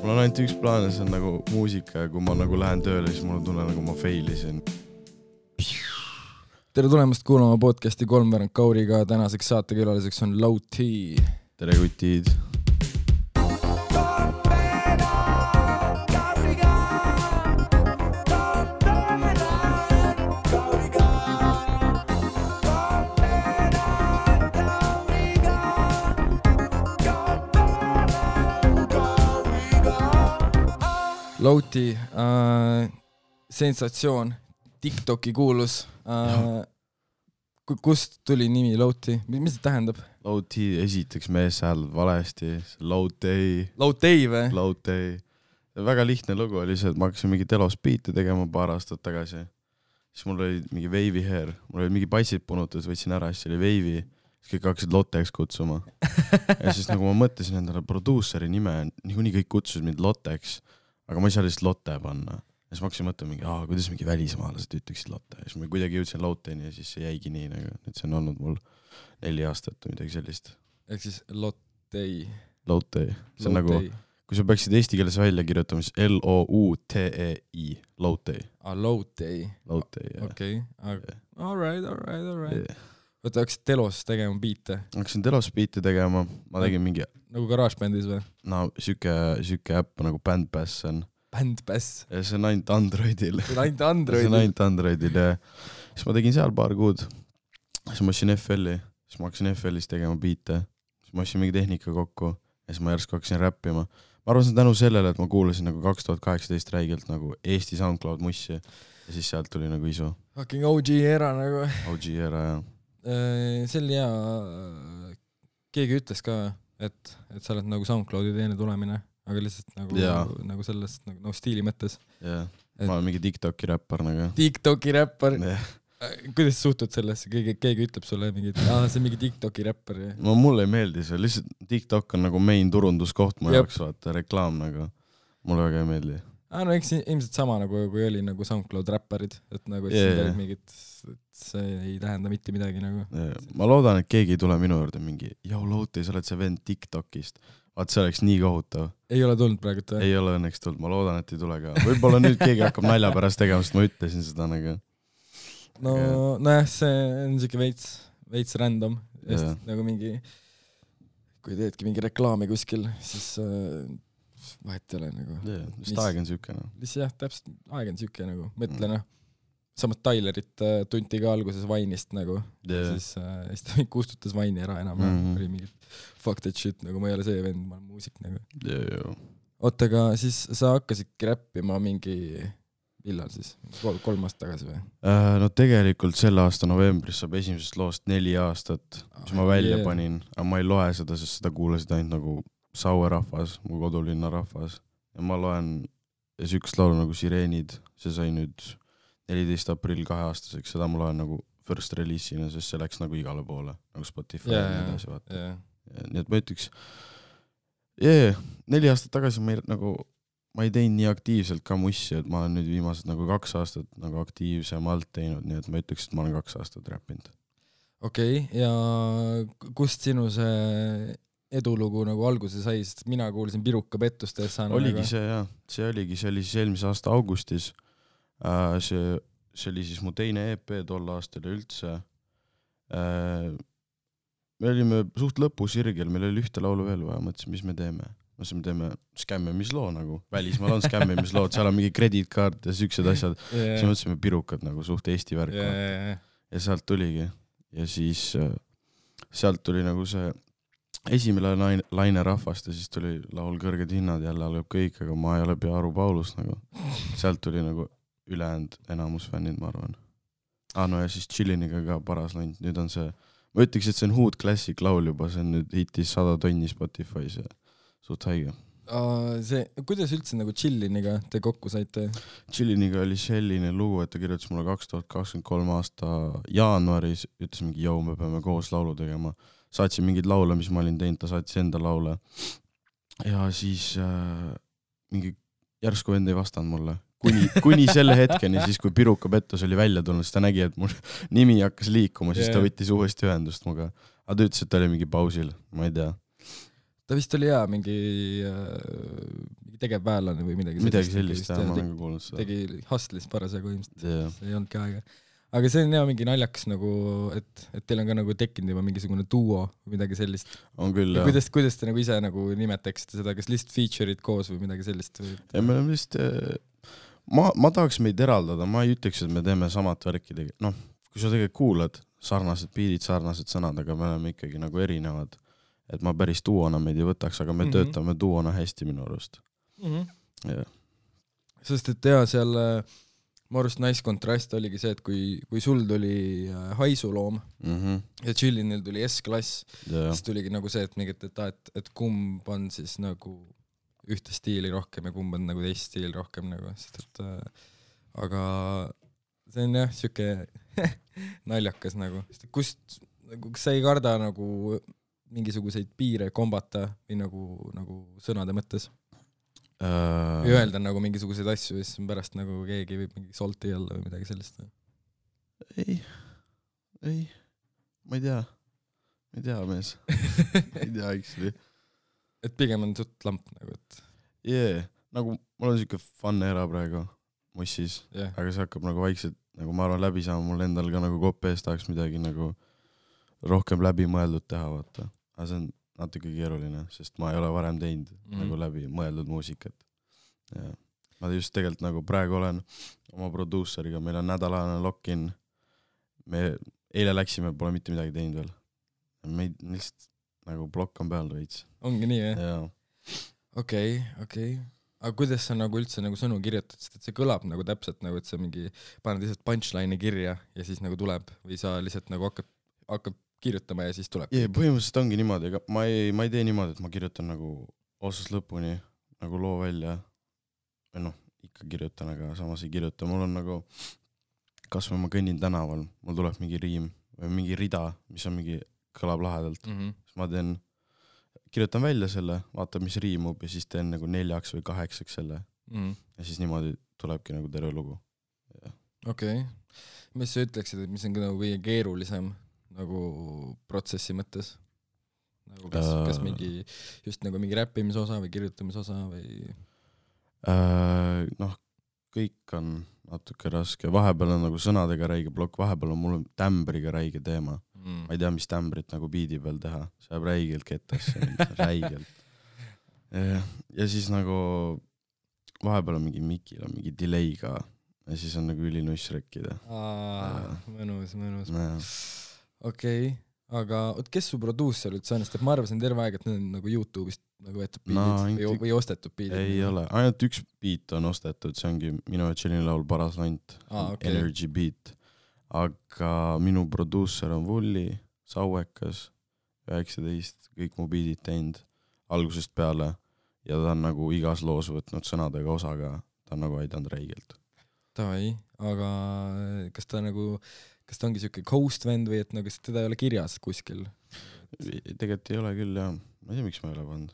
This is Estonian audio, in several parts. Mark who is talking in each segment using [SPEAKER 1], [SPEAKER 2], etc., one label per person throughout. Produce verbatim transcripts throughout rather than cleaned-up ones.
[SPEAKER 1] Mul on ainult üks plaan, see on nagu muusika ja kui ma nagu lähen tööle, siis mul on tunne nagu ma failisin.
[SPEAKER 2] Tere tulemast kuulama podcasti kolmveerand Kauriga. Tänaseks saatekülaliseks on Low T.
[SPEAKER 1] Tere kutid.
[SPEAKER 2] Low T, äh, sensatsioon, TikToki kuulus. Äh, kust tuli nimi Low T? Mis see tähendab?
[SPEAKER 1] Low T, esiteks mees hääldab valesti. Low T.
[SPEAKER 2] Low T või?
[SPEAKER 1] Low T. Väga lihtne lugu oli see, et ma hakkasin mingi telos beat'i tegema paar aastat tagasi. Siis mul oli mingi wavy hair. Mul oli mingi passid punutud, võtsin ära, siis oli wavy. Siis kõik hakkasid Lotteks kutsuma. Ja siis nagu ma mõtlesin endale produuseri nime, niikuinii kõik kutsusid mind Lotteks. Aga ma ei saa lihtsalt Lotte panna. Ja siis ma hakkasin mõtlema mingi, aa, kuidas mingi välismaalased ütleksid Lotte. Ja siis ma kuidagi jõudsin Lotteni ja siis see jäigi nii. Nagu. Nüüd see on olnud mul neli aastat või midagi sellist.
[SPEAKER 2] Ehk siis Lottei.
[SPEAKER 1] Lotte. See on nagu, kui sa peaksid eesti keeles välja kirjutama, siis L O U T E I. Lotte.
[SPEAKER 2] Ah, Lottei.
[SPEAKER 1] Lotte, jah.
[SPEAKER 2] Okei. Okay. All right, all right, all right. Yeah. Võtta, hakkasid telos tegema biite?
[SPEAKER 1] Hakkasin telos biite tegema. Ma tegin mingi...
[SPEAKER 2] Nagu GarageBandis või?
[SPEAKER 1] No, süke, süke äpp nagu Bandpass on.
[SPEAKER 2] Bandpass?
[SPEAKER 1] Ja see on ainult Androidil.
[SPEAKER 2] See on ainult Androidil?
[SPEAKER 1] See on ainult Androidil, ja. Siis ma tegin seal paar kuud. Siis ma hakkasin F L-i. Siis ma hakkasin F L-is tegema biite. Siis ma hakkasin mingi tehnika kokku. Ja siis ma järsku hakkasin räppima. Ma arvasin tänu sellele, et ma kuulasin nagu kaks tuhat kaheksateist räigelt nagu Eesti SoundCloud mussi. Ja siis sealt tuli nagu isu.
[SPEAKER 2] Fucking O G era nagu.
[SPEAKER 1] O G era, jah.
[SPEAKER 2] See oli hea. Keegi ütles ka, et, et sa oled nagu SoundCloudi teine tulemine, aga lihtsalt nagu, nagu sellest nagu, nagu stiili mõttes.
[SPEAKER 1] Jah, ma olen mingi TikToki räppar nagu.
[SPEAKER 2] TikToki räppar? Kuidas suhtud sellesse? Keegi, keegi ütleb sulle mingi, ah, see on mingi TikToki räppar.
[SPEAKER 1] No mulle ei meeldi see, lihtsalt TikTok on nagu main turunduskoht mu jaoks, vaata, reklaam nagu. Mulle väga ei meeldi. Ah, no eks ilmselt sama nagu, kui oli nagu SoundCloud räpparid, et nagu et yeah, yeah. Mingid, et see ei tähenda mitte midagi nagu. Yeah. Ma loodan, et keegi ei tule minu juurde mingi, jau Louti, sa oled see vend TikTokist. Vaat see oleks nii kohutav. Ei
[SPEAKER 2] ole tulnud praegu või?
[SPEAKER 1] Ei ole õnneks tulnud, ma loodan, et ei tule ka. Võib-olla nüüd keegi hakkab nalja pärast tegema, sest ma ütlesin seda nagu.
[SPEAKER 2] No, nojah, see on siuke veits, veits random. Yeah. Nagu mingi, kui teedki mingi reklaami kuskil, siis... vahet ei ole nagu.
[SPEAKER 1] Yeah, vist aeg on süke. No.
[SPEAKER 2] Jah, täpselt aeg on süke nagu. Mõtle, noh. Samas Tylerit äh, tunti ka alguses Vainist nagu. Yeah. Siis äh, ta kustutas Vaini ära enam. Mm -hmm. Oli mingi fuck that shit, nagu ma ei ole see vend, ma olen muusik nagu.
[SPEAKER 1] Yeah, yeah.
[SPEAKER 2] Oota, aga siis sa hakkasid räppima mingi... Millal siis? Kol kolm aastat tagasi või?
[SPEAKER 1] Uh, no tegelikult selle aasta novembris saab esimesest loost neli aastat, mis ah, ma välja yeah. panin. Aga ma ei loe seda, sest seda kuulasid ainult nagu Saue rahvas, mu kodulinna rahvas. Ja ma loen üks laulu nagu Sireenid. See sai nüüd neliteist aprill kahe aastaseks. Seda ma loen nagu first release'ina, sest see läks nagu igale poole. Nagu Spotify yeah, ja nii edasi vaata. Yeah. Ja, nii et ma ütleks, yeah, neli aastat tagasi ma ei, nagu, ma ei teinud nii aktiivselt ka mussi, et ma olen nüüd viimased nagu kaks aastat nagu aktiivsemalt teinud, nii et ma ütleks, et ma olen kaks aastat räppinud.
[SPEAKER 2] Okei, okay, ja kust sinu see... edulugu nagu alguse sai, sest mina kuulsin Piruka pettustest.
[SPEAKER 1] Oligi nagu... see, jah. See oligi, see oli siis eelmise aasta augustis. Äh, see, see oli siis mu teine E P tol aastal üldse. Äh, me olime suht lõpusirgel, meil oli ühte laulu veel vaja, mõtlesin, mis me teeme. Mõtlesin, me teeme skämmimisloo nagu. Välismaal on skämmimisloo, seal on mingi credit card ja süksed asjad. Yeah. Siis mõtlesime Pirukad nagu suht Eesti värk. Yeah. Ja sealt tuligi. Ja siis äh, sealt tuli nagu see esimene laine, laine rahvast ja siis tuli laul Kõrged hinnad, jälle algab kõik, aga ma ei ole pea Aru Paulus nagu. Sealt tuli nagu ülejäänud enamus fännid, ma arvan. Ah, no ja siis Chilliniga ka paras läinud. Nüüd on see, ma ütleks, et see on Hood Classic laul juba, see on nüüd hitis sada tonni Spotify's ja suht haige.
[SPEAKER 2] Uh, see, kuidas üldse nagu Chilliniga te kokku saite?
[SPEAKER 1] Chilliniga oli selline lugu, et ta kirjutas mulle kaks tuhat kakskümmend kolm aasta jaanuaris, ütles mingi, jau, me peame koos laulu tegema. Saatsin mingid laule, mis ma olin teinud, ta saatis enda laule. Ja siis äh, mingi järsku vend ei vastanud mulle. Kuni, kuni selle hetkeni, siis kui Piruka pettus oli välja tulnud, siis ta nägi, et mul nimi hakkas liikuma, siis yeah. ta võttis uuesti ühendust muga. Aga ta ütles, et ta oli mingi pausil, ma ei tea.
[SPEAKER 2] Ta vist oli hea mingi, äh, mingi tegevväelane või midagi
[SPEAKER 1] midagi sellist, jah, ma olen ka kuulnud seda.
[SPEAKER 2] Tegi hustlis parasjagu ilmselt
[SPEAKER 1] yeah.,
[SPEAKER 2] see ei olnudki aega. Aga see on jah mingi naljakas nagu, et, et teil on ka nagu tekkinud juba mingisugune duo või midagi sellist.
[SPEAKER 1] On küll, jah.
[SPEAKER 2] Kuidas, kuidas te nagu ise nagu nimetaksite seda, kas lihtsalt feature'id koos või midagi sellist? Või...
[SPEAKER 1] Ja me oleme vist, ma, ma tahaks meid eraldada, ma ei ütleks, et me teeme samat värki tegi. Noh, kui sa tegelikult kuulad, sarnased beatid, sarnased sõnad, aga me oleme ikkagi nagu erinevad. Et ma päris duona meid ei võtaks, aga me mm-hmm. töötame duona hästi minu arust.
[SPEAKER 2] Mm-hmm.
[SPEAKER 1] Yeah.
[SPEAKER 2] Sest et jah, seal ma arust nice kontrast oligi see, et kui, kui sul tuli haisuloom
[SPEAKER 1] mm-hmm.
[SPEAKER 2] ja Chillinil tuli S-klass,
[SPEAKER 1] yeah.
[SPEAKER 2] siis tuligi nagu see, et mingit, et, et, et kumb on siis nagu ühte stiili rohkem ja kumb on nagu teist stiili rohkem nagu, sest et äh, aga see on jah, siuke naljakas nagu, sest et kust, nagu, kas sa ei karda nagu mingisuguseid piire kombata või nagu, nagu sõnade mõttes?
[SPEAKER 1] Uh...
[SPEAKER 2] ja öelda nagu mingisuguseid asju ja siis pärast nagu keegi võib mingi solti olla või midagi sellist.
[SPEAKER 1] Ei, ei, ma ei tea, ma ei tea, mees. ma ei tea, actually.
[SPEAKER 2] Et pigem on suht lamp nagu, et...
[SPEAKER 1] Yeah, nagu mul on siuke fun era praegu mussis,
[SPEAKER 2] yeah.
[SPEAKER 1] aga see hakkab nagu vaikselt, nagu ma arvan läbi saama, mul endal ka nagu kopp ees tahaks midagi nagu rohkem läbi mõeldud teha, vaata. Aga see on natuke keeruline, sest ma ei ole varem teinud mm. nagu läbi mõeldud muusikat. Ja ma just tegelikult nagu praegu olen oma produusseriga, meil on nädalane lock-in, me eile läksime, pole mitte midagi teinud veel. Me lihtsalt nagu blokk on peal veits.
[SPEAKER 2] Ongi nii, jah?
[SPEAKER 1] Jaa.
[SPEAKER 2] Okei, okei. Aga kuidas sa nagu üldse nagu sõnu kirjutad, sest et see kõlab nagu täpselt nagu, et sa mingi paned lihtsalt punchline'i kirja ja siis nagu tuleb või sa lihtsalt nagu hakkad, hakkad kirjutama ja siis tuleb.
[SPEAKER 1] Jee, põhimõtteliselt ongi niimoodi, aga ma ei, ma ei tee niimoodi, et ma kirjutan nagu otsast lõpuni nagu loo välja. Või noh, ikka kirjutan, aga samas ei kirjuta. Mul on nagu, kas või ma kõnnin tänaval, mul tuleb mingi riim või mingi rida, mis on mingi kõlab lahedalt.
[SPEAKER 2] Mm-hmm.
[SPEAKER 1] Siis ma teen, kirjutan välja selle, vaatan, mis riimub ja siis teen nagu neljaks või kaheksaks selle.
[SPEAKER 2] Mm-hmm. Ja
[SPEAKER 1] siis niimoodi tulebki nagu terve lugu.
[SPEAKER 2] Okei. Okay. Mis sa ütleksid, et mis on nagu kõige keerulisem nagu protsessi mõttes? Nagu kas, uh, kas mingi, just nagu mingi räppimise osa või kirjutamise osa või?
[SPEAKER 1] Uh, noh, kõik on natuke raske. Vahepeal on nagu sõnadega räige plokk, vahepeal on mul tämbriga räige teema. Mm. Ma ei tea, mis tämbrit nagu biidi peal teha. See jääb räigelt kettasse, räigelt. Ja, ja siis nagu vahepeal on mingi mikil, on mingi delay ka ja siis on nagu ülinuss rekkida.
[SPEAKER 2] Aa, mõnus, mõnus.
[SPEAKER 1] Ja.
[SPEAKER 2] Okei, okay. Aga oot, kes su produusser üldse on, sest ma arvasin terve aeg, et need on nagu YouTube'ist nagu võetud biidid no, või, või ostetud biidid.
[SPEAKER 1] Ei
[SPEAKER 2] nagu.
[SPEAKER 1] ole, ainult üks beat on ostetud, see ongi minu ja Chillin laul Paras Lant,
[SPEAKER 2] ah, okay.
[SPEAKER 1] Energy beat. Aga minu produusser on Vulli, Sauekas, üheksateist, kõik mu biidid teinud algusest peale ja ta on nagu igas loos võtnud sõnadega osaga, ta on nagu aidanud räigelt.
[SPEAKER 2] Tavai, aga kas ta nagu kas ta ongi siuke ghost vend või et nagu teda ei ole kirjas kuskil?
[SPEAKER 1] Tegelikult ei ole küll, jah. Ma ei tea, miks ma ei ole pannud.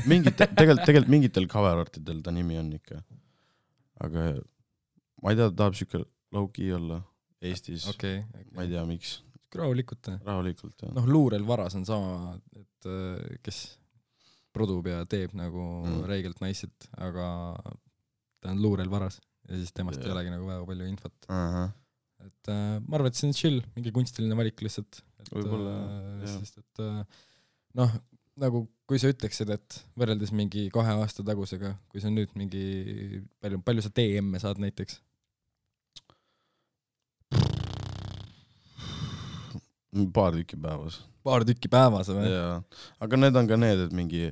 [SPEAKER 1] Mingit, tegelikult, tegelikult mingitel cover-artidel ta nimi on ikka. Aga ma ei tea, ta tahab siuke low-key olla Eestis.
[SPEAKER 2] Okay, okay.
[SPEAKER 1] Ma ei tea, miks.
[SPEAKER 2] Rahulikult.
[SPEAKER 1] Rahulikult, jah.
[SPEAKER 2] Noh, Luurel Varas on sama, et kes produb ja teeb nagu mm. reigelt naiset, aga ta on Luurel Varas ja siis temast yeah. ei olegi nagu väga palju infot.
[SPEAKER 1] Uh-huh.
[SPEAKER 2] Et äh, ma arvan, et see on chill, mingi kunstiline valik lihtsalt. Et,
[SPEAKER 1] võib-olla,
[SPEAKER 2] äh, sest, et äh, noh, nagu kui sa ütleksid, et võrreldes mingi kahe aasta tagusega, kui sa nüüd mingi, palju, palju sa D M-e saad näiteks?
[SPEAKER 1] Paar tükki päevas.
[SPEAKER 2] Paar tükki päevas, või?
[SPEAKER 1] Jaa, aga need on ka need, et mingi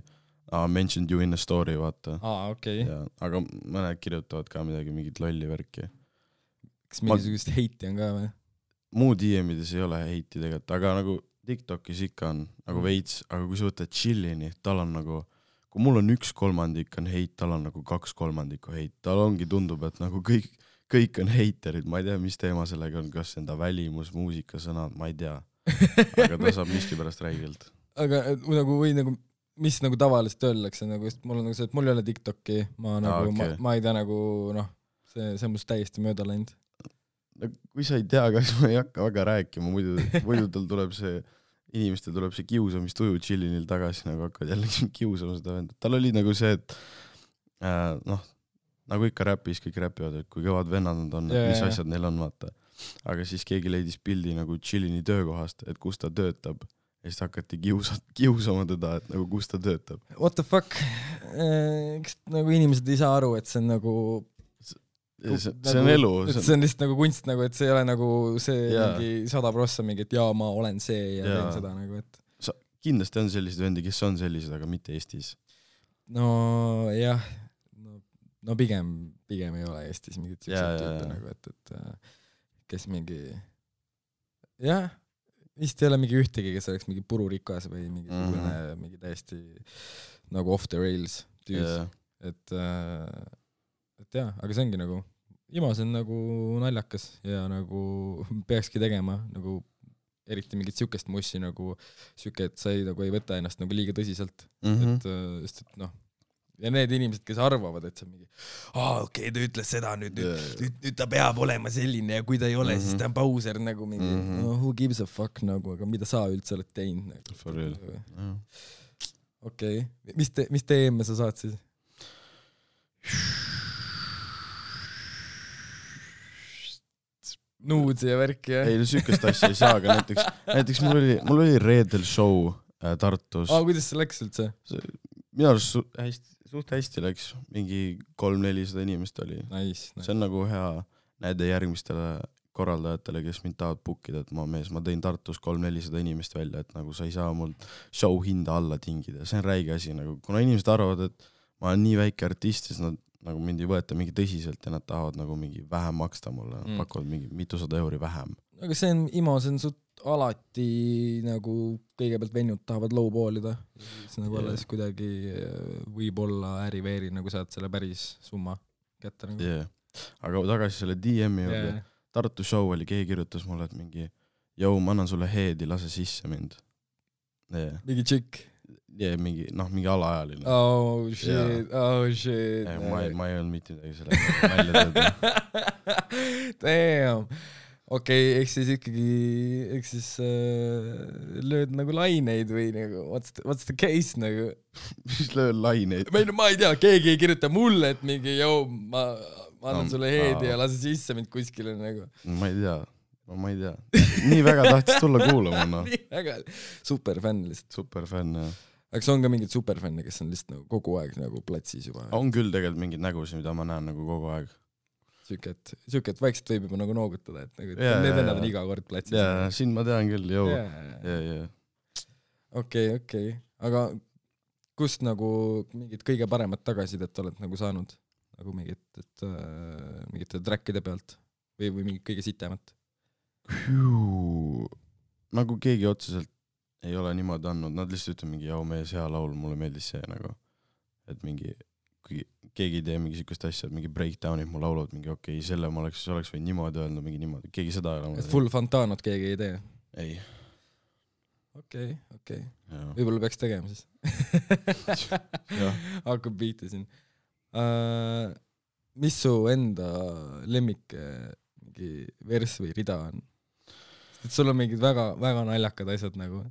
[SPEAKER 1] I mentioned you in a story, vaata.
[SPEAKER 2] Aa, okei.
[SPEAKER 1] Okay. Aga mõned kirjutavad ka midagi, mingit lolli värki.
[SPEAKER 2] Kas mingisugust ma... heiti on ka või?
[SPEAKER 1] Muu D M-ides ei ole heiti tegelikult, aga nagu TikTokis ikka on nagu veits, aga kui sa võtad Chillini, tal on nagu, kui mul on üks kolmandik on heit, tal on nagu kaks kolmandikku heit. Tal ongi tundub, et nagu kõik, kõik on heiterid, ma ei tea, mis teema sellega on, kas enda välimus, muusika, sõnad, ma ei tea. Aga ta saab miski pärast räigelt.
[SPEAKER 2] Aga nagu või nagu mis nagu tavaliselt öeldakse, nagu, mul on nagu see, et mul ei ole TikToki, ma, nagu, ah, okay. ma, ma ei tea nagu, noh, see, see on must täiesti mööda läinud.
[SPEAKER 1] No, kui sa ei tea, kas ma ei hakka väga rääkima, muidu, muidu tal tuleb see, inimestel tuleb see kiusamistuju Chillinil tagasi, nagu hakkavad jälle kiusama seda venda. Tal oli nagu see, et äh, noh, nagu ikka räpis, kõik räpivad, et kui kõvad vennad nad on,
[SPEAKER 2] yeah,
[SPEAKER 1] mis
[SPEAKER 2] yeah.
[SPEAKER 1] asjad neil on, vaata. Aga siis keegi leidis pildi nagu Chillini töökohast, et kus ta töötab. Ja siis hakati kiusa, kiusama teda, et nagu kus ta töötab.
[SPEAKER 2] What the fuck? Eks nagu inimesed ei saa aru, et see on nagu...
[SPEAKER 1] See, see nagu, on elu.
[SPEAKER 2] See on... see on lihtsalt nagu kunst, nagu, et see ei ole nagu see
[SPEAKER 1] yeah.
[SPEAKER 2] mingi sada prossa mingi, et jaa, ma olen see ja yeah. teen seda nagu, et...
[SPEAKER 1] Sa, kindlasti on sellised vendi, kes on sellised, aga mitte Eestis.
[SPEAKER 2] No jah, no, no pigem, pigem ei ole Eestis mingit
[SPEAKER 1] yeah,
[SPEAKER 2] tüüpe
[SPEAKER 1] yeah.
[SPEAKER 2] nagu, et, et kes mingi... Jah, vist ei ole mingi ühtegi, kes oleks mingi pururikas või mingi, mm -hmm. mingi täiesti nagu off the rails tüüs. Yeah. Et, et jah, aga see ongi nagu, Imas on nagu naljakas ja nagu peakski tegema nagu eriti mingit sükest mussi nagu süke, et sa ei, nagu ei võta ennast nagu liiga tõsiselt. Mm -hmm. et, sest, et noh, ja need inimesed, kes arvavad, et see on mingi aa, okei, okay, ta ütles seda, nüüd, nüüd, yeah. nüüd, nüüd ta peab olema selline ja kui ta ei ole, mm -hmm. siis ta on pauser nagu mingi, mm -hmm. no who gives a fuck nagu, aga mida sa üldse oled teinud nagu.
[SPEAKER 1] For real. Yeah.
[SPEAKER 2] Okei, okay. mis te, mis te eemme sa saad siis? Nuudsi ja värki, jah?
[SPEAKER 1] Ei, no sükest asja ei saa, aga näiteks, näiteks mul oli, mul oli reedel show äh, Tartus.
[SPEAKER 2] Aa, kuidas see läks üldse?
[SPEAKER 1] Minu arust su, hästi, suht hästi läks, mingi kolm-nelisada inimest oli.
[SPEAKER 2] Nice, nice.
[SPEAKER 1] See on nagu hea näide järgmistele korraldajatele, kes mind tahavad bookida, et ma mees, ma tõin Tartus kolm-nelisada inimest välja, et nagu sa ei saa mul show hinda alla tingida. See on räige asi, nagu, kuna inimesed arvavad, et ma olen nii väike artist, siis nad nagu mind ei võeta mingi tõsiselt ja nad tahavad nagu mingi vähem maksta mulle, mm. pakuvad mingi mitusada euri vähem.
[SPEAKER 2] Aga see on, Imo, see on sut alati nagu kõigepealt venjud tahavad lowballida, siis nagu yeah. alles kuidagi võib-olla äri-veeri nagu saad selle päris summa kätte nagu.
[SPEAKER 1] Yeah. Aga tagasi selle D M-i juurde, yeah. Tartu show oli, keegi kirjutas mulle, et mingi jõu, ma annan sulle heedi, lase sisse mind. Yeah.
[SPEAKER 2] Mingi tšikk?
[SPEAKER 1] Yeah, mingi, noh, mingi alaajaline.
[SPEAKER 2] Oh shit, yeah. oh shit.
[SPEAKER 1] Yeah, ma, ei, ma ei olnud mitte midagi selle välja tööda.
[SPEAKER 2] Damn. Okei, okay, eks siis ikkagi, eks siis äh, lööd nagu laineid või nagu, what's the, what's the case nagu?
[SPEAKER 1] Mis lööd laineid?
[SPEAKER 2] Või no ma ei tea, keegi ei kirjuta mulle, et mingi, jõu, ma, ma annan no, sulle heedi aa. Ja lase sisse mind kuskile nagu.
[SPEAKER 1] Ma ei tea, no, ma ei tea. Nii väga tahtis tulla kuulama, no.
[SPEAKER 2] Nii väga, superfänn lihtsalt.
[SPEAKER 1] Superfänn, jah.
[SPEAKER 2] Aga on ka mingid superfänne, kes on lihtsalt nagu kogu aeg nagu platsis juba.
[SPEAKER 1] On küll tegelikult mingid nägusid, mida ma näen nagu kogu aeg.
[SPEAKER 2] Sükket, sükket vaikselt võib juba nagu noogutada, et nagu yeah, need vennad on iga kord platsis.
[SPEAKER 1] Jaa, siin ma tean küll, jõu.
[SPEAKER 2] Okei, okei. Aga kust nagu mingid kõige paremad tagasidet oled nagu saanud? Nagu mingid, et, äh, mingite trackide pealt? Või, või mingid kõige sitemat?
[SPEAKER 1] Nagu keegi otseselt ei ole niimoodi andnud, nad lihtsalt ütlen mingi, jau mees, hea laul, mulle meeldis see nagu, et mingi, kui keegi ei tee mingi sükust asja, et mingi breakdownid mu laulud, mingi okei, okay, selle ma oleks, oleks võinud niimoodi öelda, mingi niimoodi, keegi seda ei ole.
[SPEAKER 2] Et full Fantanot keegi ei tee?
[SPEAKER 1] Ei.
[SPEAKER 2] Okei, okei. Võib-olla peaks tegema siis. Hakkab biiti siin. Uh, mis su enda lemmik mingi vers või rida on? Et sul on mingid väga, väga naljakad asjad nagu.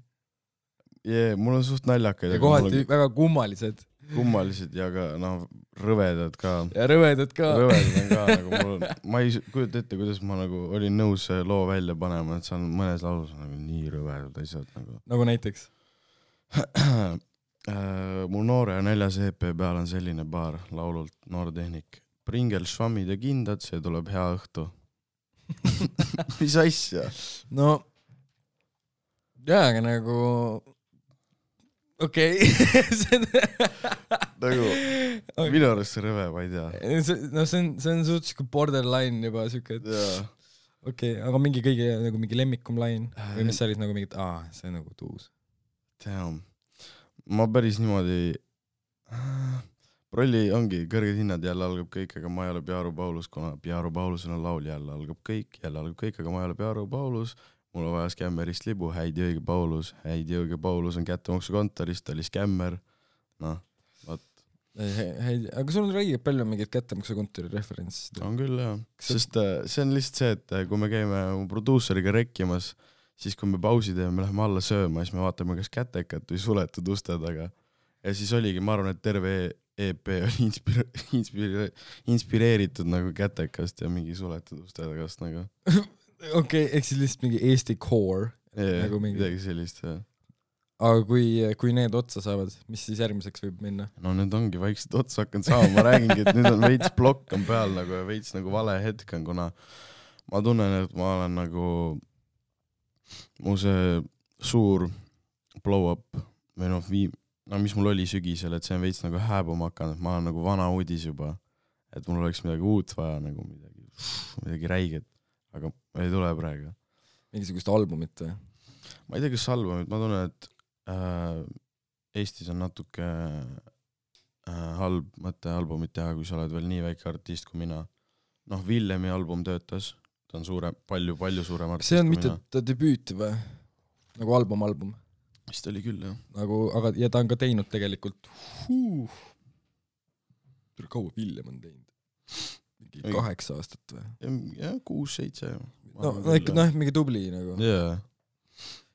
[SPEAKER 1] Jee, mul on suht naljakaid.
[SPEAKER 2] Ja kohati on... väga kummalised.
[SPEAKER 1] Kummalised ja ka noh, rõvedad ka.
[SPEAKER 2] Ja rõvedad ka.
[SPEAKER 1] Rõvedad on ka. Nagu mul on, ma ei kujuta ette, kuidas ma nagu olin nõus loo välja panema, et see on mõnes laulus nagu nii rõvedad asjad. Nagu,
[SPEAKER 2] nagu näiteks?
[SPEAKER 1] Mul noore ja neljas E P peal on selline paar laulult Noortehnik. Pringel, švammid ja kindad, see tuleb hea õhtu. Mis asja?
[SPEAKER 2] No jaa, aga nagu okei okay.
[SPEAKER 1] Nagu okay. Minu arust see rõve, ma ei tea.
[SPEAKER 2] No see on, see on suht borderline juba süke, et okei, okay, aga mingi kõige nagu mingi lemmikum line või mis sa olid nagu mingid, aa, see on nagu tuus.
[SPEAKER 1] Damn. Ma päris niimoodi Prolli ongi, kõrged hinnad jälle algab kõik, aga ma ei ole Piaru Paulus, kuna Piaru Paulusel on laul jälle algab kõik, jälle algab kõik, aga ma ei ole Piaru Paulus, mul on vaja skämmerist libu, häid jõige Paulus, häid jõige Paulus on kättemaksu kontorist, oli skämmer, noh, vaat.
[SPEAKER 2] Aga sul on räigelt palju mingid kättemaksu kontori referentsist.
[SPEAKER 1] On küll, jah, sest see on lihtsalt see, et kui me käime produuseriga rekkimas, siis kui me pausi teeme, me läheme alla sööma, siis me vaatame kas kätekat või suletud uste taga. Ja siis oligi, ma arvan, et terve E P oli inspire- inspire- inspireeritud nagu kätekast ja mingi suletud uste tagast nagu.
[SPEAKER 2] okei okay,, ehk siis lihtsalt mingi Eesti core
[SPEAKER 1] Yeah,
[SPEAKER 2] nagu mingi.
[SPEAKER 1] midagi sellist, jah.
[SPEAKER 2] Aga kui, kui need otsa saavad, mis siis järgmiseks võib minna?
[SPEAKER 1] No need ongi vaikselt otsa hakanud saama, ma räägingi, et nüüd on veits blokk on peal nagu ja veits nagu vale hetk on, kuna ma tunnen, et ma olen nagu mu see suur blow-up või noh, viim-, no mis mul oli sügisel, et see on veits nagu hääbuma hakanud, et ma olen nagu vana uudis juba, et mul oleks midagi uut vaja, nagu midagi, midagi räiget, aga ei tule praegu.
[SPEAKER 2] Mingisugust albumit või?
[SPEAKER 1] Ma ei tea, kas albumit, ma tunnen, et äh, Eestis on natuke äh, halb mõte albumit teha, kui sa oled veel nii väike artist kui mina. Noh, Villemi album töötas, ta on suure, palju, palju suurem artist
[SPEAKER 2] see on
[SPEAKER 1] kui
[SPEAKER 2] mitte
[SPEAKER 1] mina.
[SPEAKER 2] ta debüüt või? Nagu album, album.
[SPEAKER 1] Vist oli küll, jah.
[SPEAKER 2] Nagu, aga, ja ta on ka teinud tegelikult huh, kaua Villem on teinud? Mingi Ei. kaheksa aastat või?
[SPEAKER 1] Jah, kuus, seitse.
[SPEAKER 2] No, no ikka noh, mingi tubli nagu.
[SPEAKER 1] Yeah.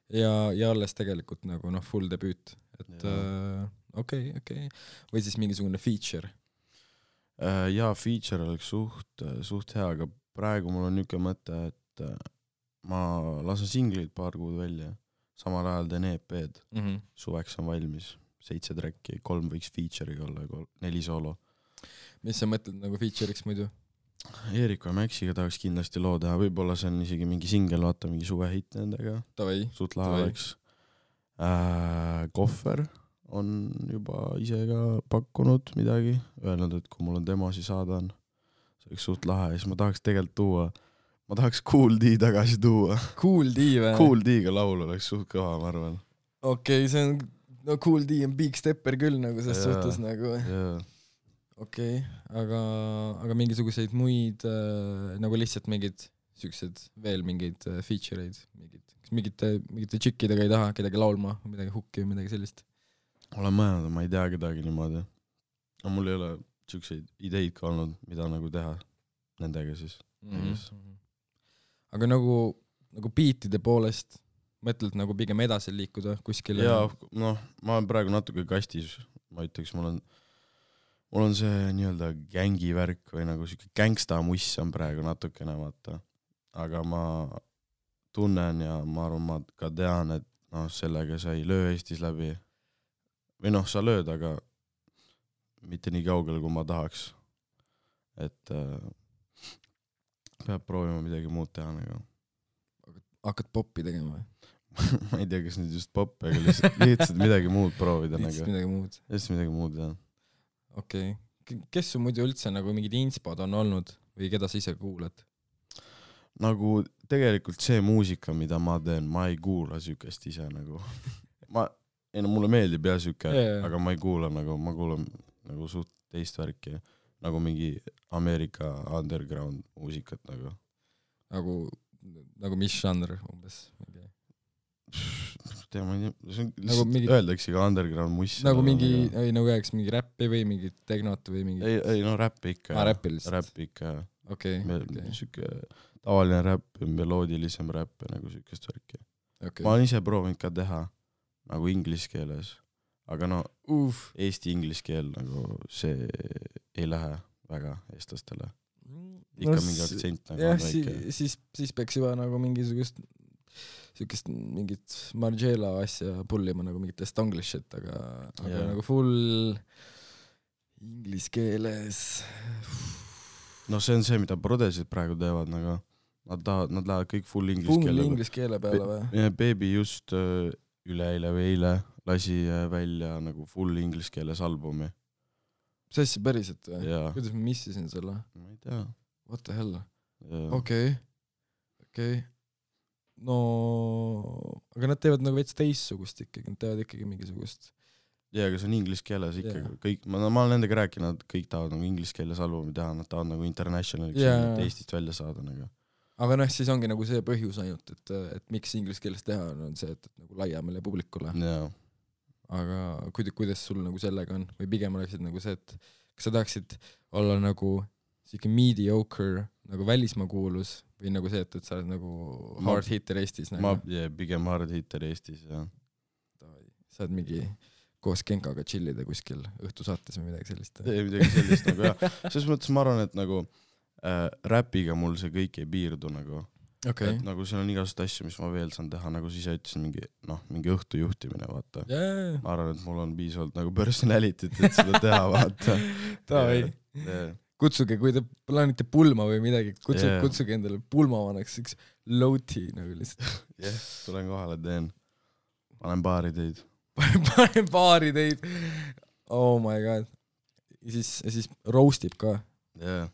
[SPEAKER 2] Ja, ja alles tegelikult nagu noh, full debüüt. Et okei, yeah. uh, okei. Okay, okay. Või siis mingisugune feature?
[SPEAKER 1] Uh, jaa, feature oleks suht, suht hea, aga praegu mul on niisugune mõte, et uh, ma lasen singlid paar kuud välja. Samal ajal teen E P-d.
[SPEAKER 2] Mm-hmm.
[SPEAKER 1] Suveks on valmis. Seitse track'i, kolm võiks feature'iga olla, kolm, neli soolo.
[SPEAKER 2] Mis sa mõtled nagu feature'iks muidu?
[SPEAKER 1] Eeriku ja Maxiga tahaks kindlasti loo teha, võib-olla see on isegi mingi singel, vaata mingi suvehitt nendega.
[SPEAKER 2] Tavai.
[SPEAKER 1] Suht lahe oleks. Äh, Kohver on juba ise ka pakkunud midagi, öelnud, et kui mul on demosi saada on, see oleks suht lahe ja siis ma tahaks tegelikult tuua, ma tahaks Kool D tagasi tuua.
[SPEAKER 2] Kool D või?
[SPEAKER 1] Kool D-ga laul oleks suht kõva, ma arvan.
[SPEAKER 2] Okei, okay, see on, no Kool D on big stepper küll nagu selles
[SPEAKER 1] yeah,
[SPEAKER 2] suhtes nagu.
[SPEAKER 1] Yeah.
[SPEAKER 2] Okei, okay, aga, aga mingisuguseid muid äh, nagu lihtsalt mingid siuksed veel mingid äh, feature'id, mingid, mingite, mingite tšikkidega ei taha kedagi laulma või midagi hukki või midagi sellist?
[SPEAKER 1] Olen mõelnud, ma ei tea kedagi niimoodi. No mul ei ole siukseid ideid ka olnud, mida nagu teha nendega siis.
[SPEAKER 2] Mm-hmm. Aga nagu, nagu beatide poolest mõtled nagu pigem edasi liikuda kuskile?
[SPEAKER 1] Jaa, noh, ma olen praegu natuke kastis, ma ütleks, mul on mul on see nii-öelda gängi värk või nagu siuke gangsta muss on praegu natukene, vaata. Aga ma tunnen ja ma arvan, ma ka tean, et noh, sellega sa ei löö Eestis läbi. Või noh, sa lööd, aga mitte nii kaugele, kui ma tahaks. Et äh, peab proovima midagi muud teha. Nagu.
[SPEAKER 2] Hakkad poppi tegema või?
[SPEAKER 1] Ma ei tea, kas nüüd just poppi, aga lihtsalt, lihtsalt midagi muud proovida.
[SPEAKER 2] Lihtsalt nagu. midagi muud?
[SPEAKER 1] Lihtsalt midagi muud, jah.
[SPEAKER 2] Okei. Okay. Kes su muidu üldse nagu mingid inspod on olnud või keda sa ise kuulad?
[SPEAKER 1] Nagu tegelikult see muusika, mida ma teen, ma ei kuula sükest ise nagu. Ma, ei no mulle meeldib jah süke, yeah. Aga ma ei kuula nagu, ma kuulan nagu suht teist värki. Nagu mingi Ameerika underground muusikat nagu.
[SPEAKER 2] Nagu, nagu mis žanr umbes?
[SPEAKER 1] Tea, ma ei tea, see on
[SPEAKER 2] nagu mingi,
[SPEAKER 1] öeldakse ka underground muss.
[SPEAKER 2] Nagu mingi, ei nagu jääks mingi räppi või mingi tegnot või mingi...
[SPEAKER 1] Ei, ei no räppi ikka.
[SPEAKER 2] Ah, räppi lihtsalt.
[SPEAKER 1] Räppi ikka.
[SPEAKER 2] Okei. Okay, okay.
[SPEAKER 1] Süke tavaline räpp, meloodilisem räpp ja nagu sükest värki. Okay. Ma olen ise proovinud ka teha nagu inglise keeles. Aga no
[SPEAKER 2] Uf.
[SPEAKER 1] Eesti inglise keel nagu see ei lähe väga eestlastele. Ikka
[SPEAKER 2] no,
[SPEAKER 1] mingi aktsent nagu
[SPEAKER 2] jah,
[SPEAKER 1] on väike.
[SPEAKER 2] Siis, siis, siis peaks juba nagu mingisugust siukest mingit Margiela asja pullima nagu mingit estonglishit, aga, aga yeah. Nagu full inglise keeles.
[SPEAKER 1] No see on see, mida prodesid praegu teevad, nagu nad tahavad, nad lähevad kõik full inglise
[SPEAKER 2] full
[SPEAKER 1] keele.
[SPEAKER 2] Full inglise keele peale või?
[SPEAKER 1] Baby just uh, üleeile või eile lasi välja nagu full inglise keeles albumi.
[SPEAKER 2] See asja päriselt või?
[SPEAKER 1] Yeah.
[SPEAKER 2] Kuidas ma missisin selle?
[SPEAKER 1] Ma ei tea.
[SPEAKER 2] What the hell?
[SPEAKER 1] Yeah.
[SPEAKER 2] Okei. Okay. Okei. Okay. No, aga nad teevad nagu veits teissugust ikkagi, nad teevad ikkagi mingisugust.
[SPEAKER 1] Jaa, aga see on inglise keeles ikkagi.
[SPEAKER 2] Yeah.
[SPEAKER 1] Kõik, ma, ma olen nendega rääkinud, kõik tahavad nagu inglise keeles albumi teha, nad tahavad nagu internationaliks
[SPEAKER 2] yeah.
[SPEAKER 1] Eestist välja saada. Nagu.
[SPEAKER 2] Aga noh, siis ongi nagu see põhjus ainult, et, et miks inglise keeles teha on see, et, et nagu laiemale publikule.
[SPEAKER 1] Yeah.
[SPEAKER 2] Aga kuidas, kuidas sul nagu sellega on? Või pigem oleksid nagu see, et kas sa tahaksid olla nagu siuke mediocre nagu välismaa kuulus või nagu see, et, et sa oled nagu hard ma, hitter Eestis? Nagu?
[SPEAKER 1] Ma yeah, pigem hard hitter Eestis, jah.
[SPEAKER 2] Sa oled mingi koos Genkaga chillida kuskil õhtusaates või midagi sellist.
[SPEAKER 1] Ei, midagi sellist nagu jah. Selles mõttes ma arvan, et nagu äh, räpiga mul see kõik ei piirdu nagu.
[SPEAKER 2] Okay.
[SPEAKER 1] Et nagu siin on igasugust asju, mis ma veel saan teha, nagu siis ütlesin mingi, noh, mingi õhtu juhtimine, vaata.
[SPEAKER 2] Yeah.
[SPEAKER 1] Ma arvan, et mul on piisavalt nagu personality't, et seda teha, vaata.
[SPEAKER 2] Tavai. Yeah. Kutsuge, kui te plaanite pulma või midagi, kutsuge, yeah. kutsuge endale pulmavanaks üks low-tea nagu lihtsalt.
[SPEAKER 1] Jah, yeah, tulen kohale, teen. Panen baari teid.
[SPEAKER 2] Panen baari teid. Oh my god. Ja siis, ja siis roastib ka.
[SPEAKER 1] Jah. Yeah.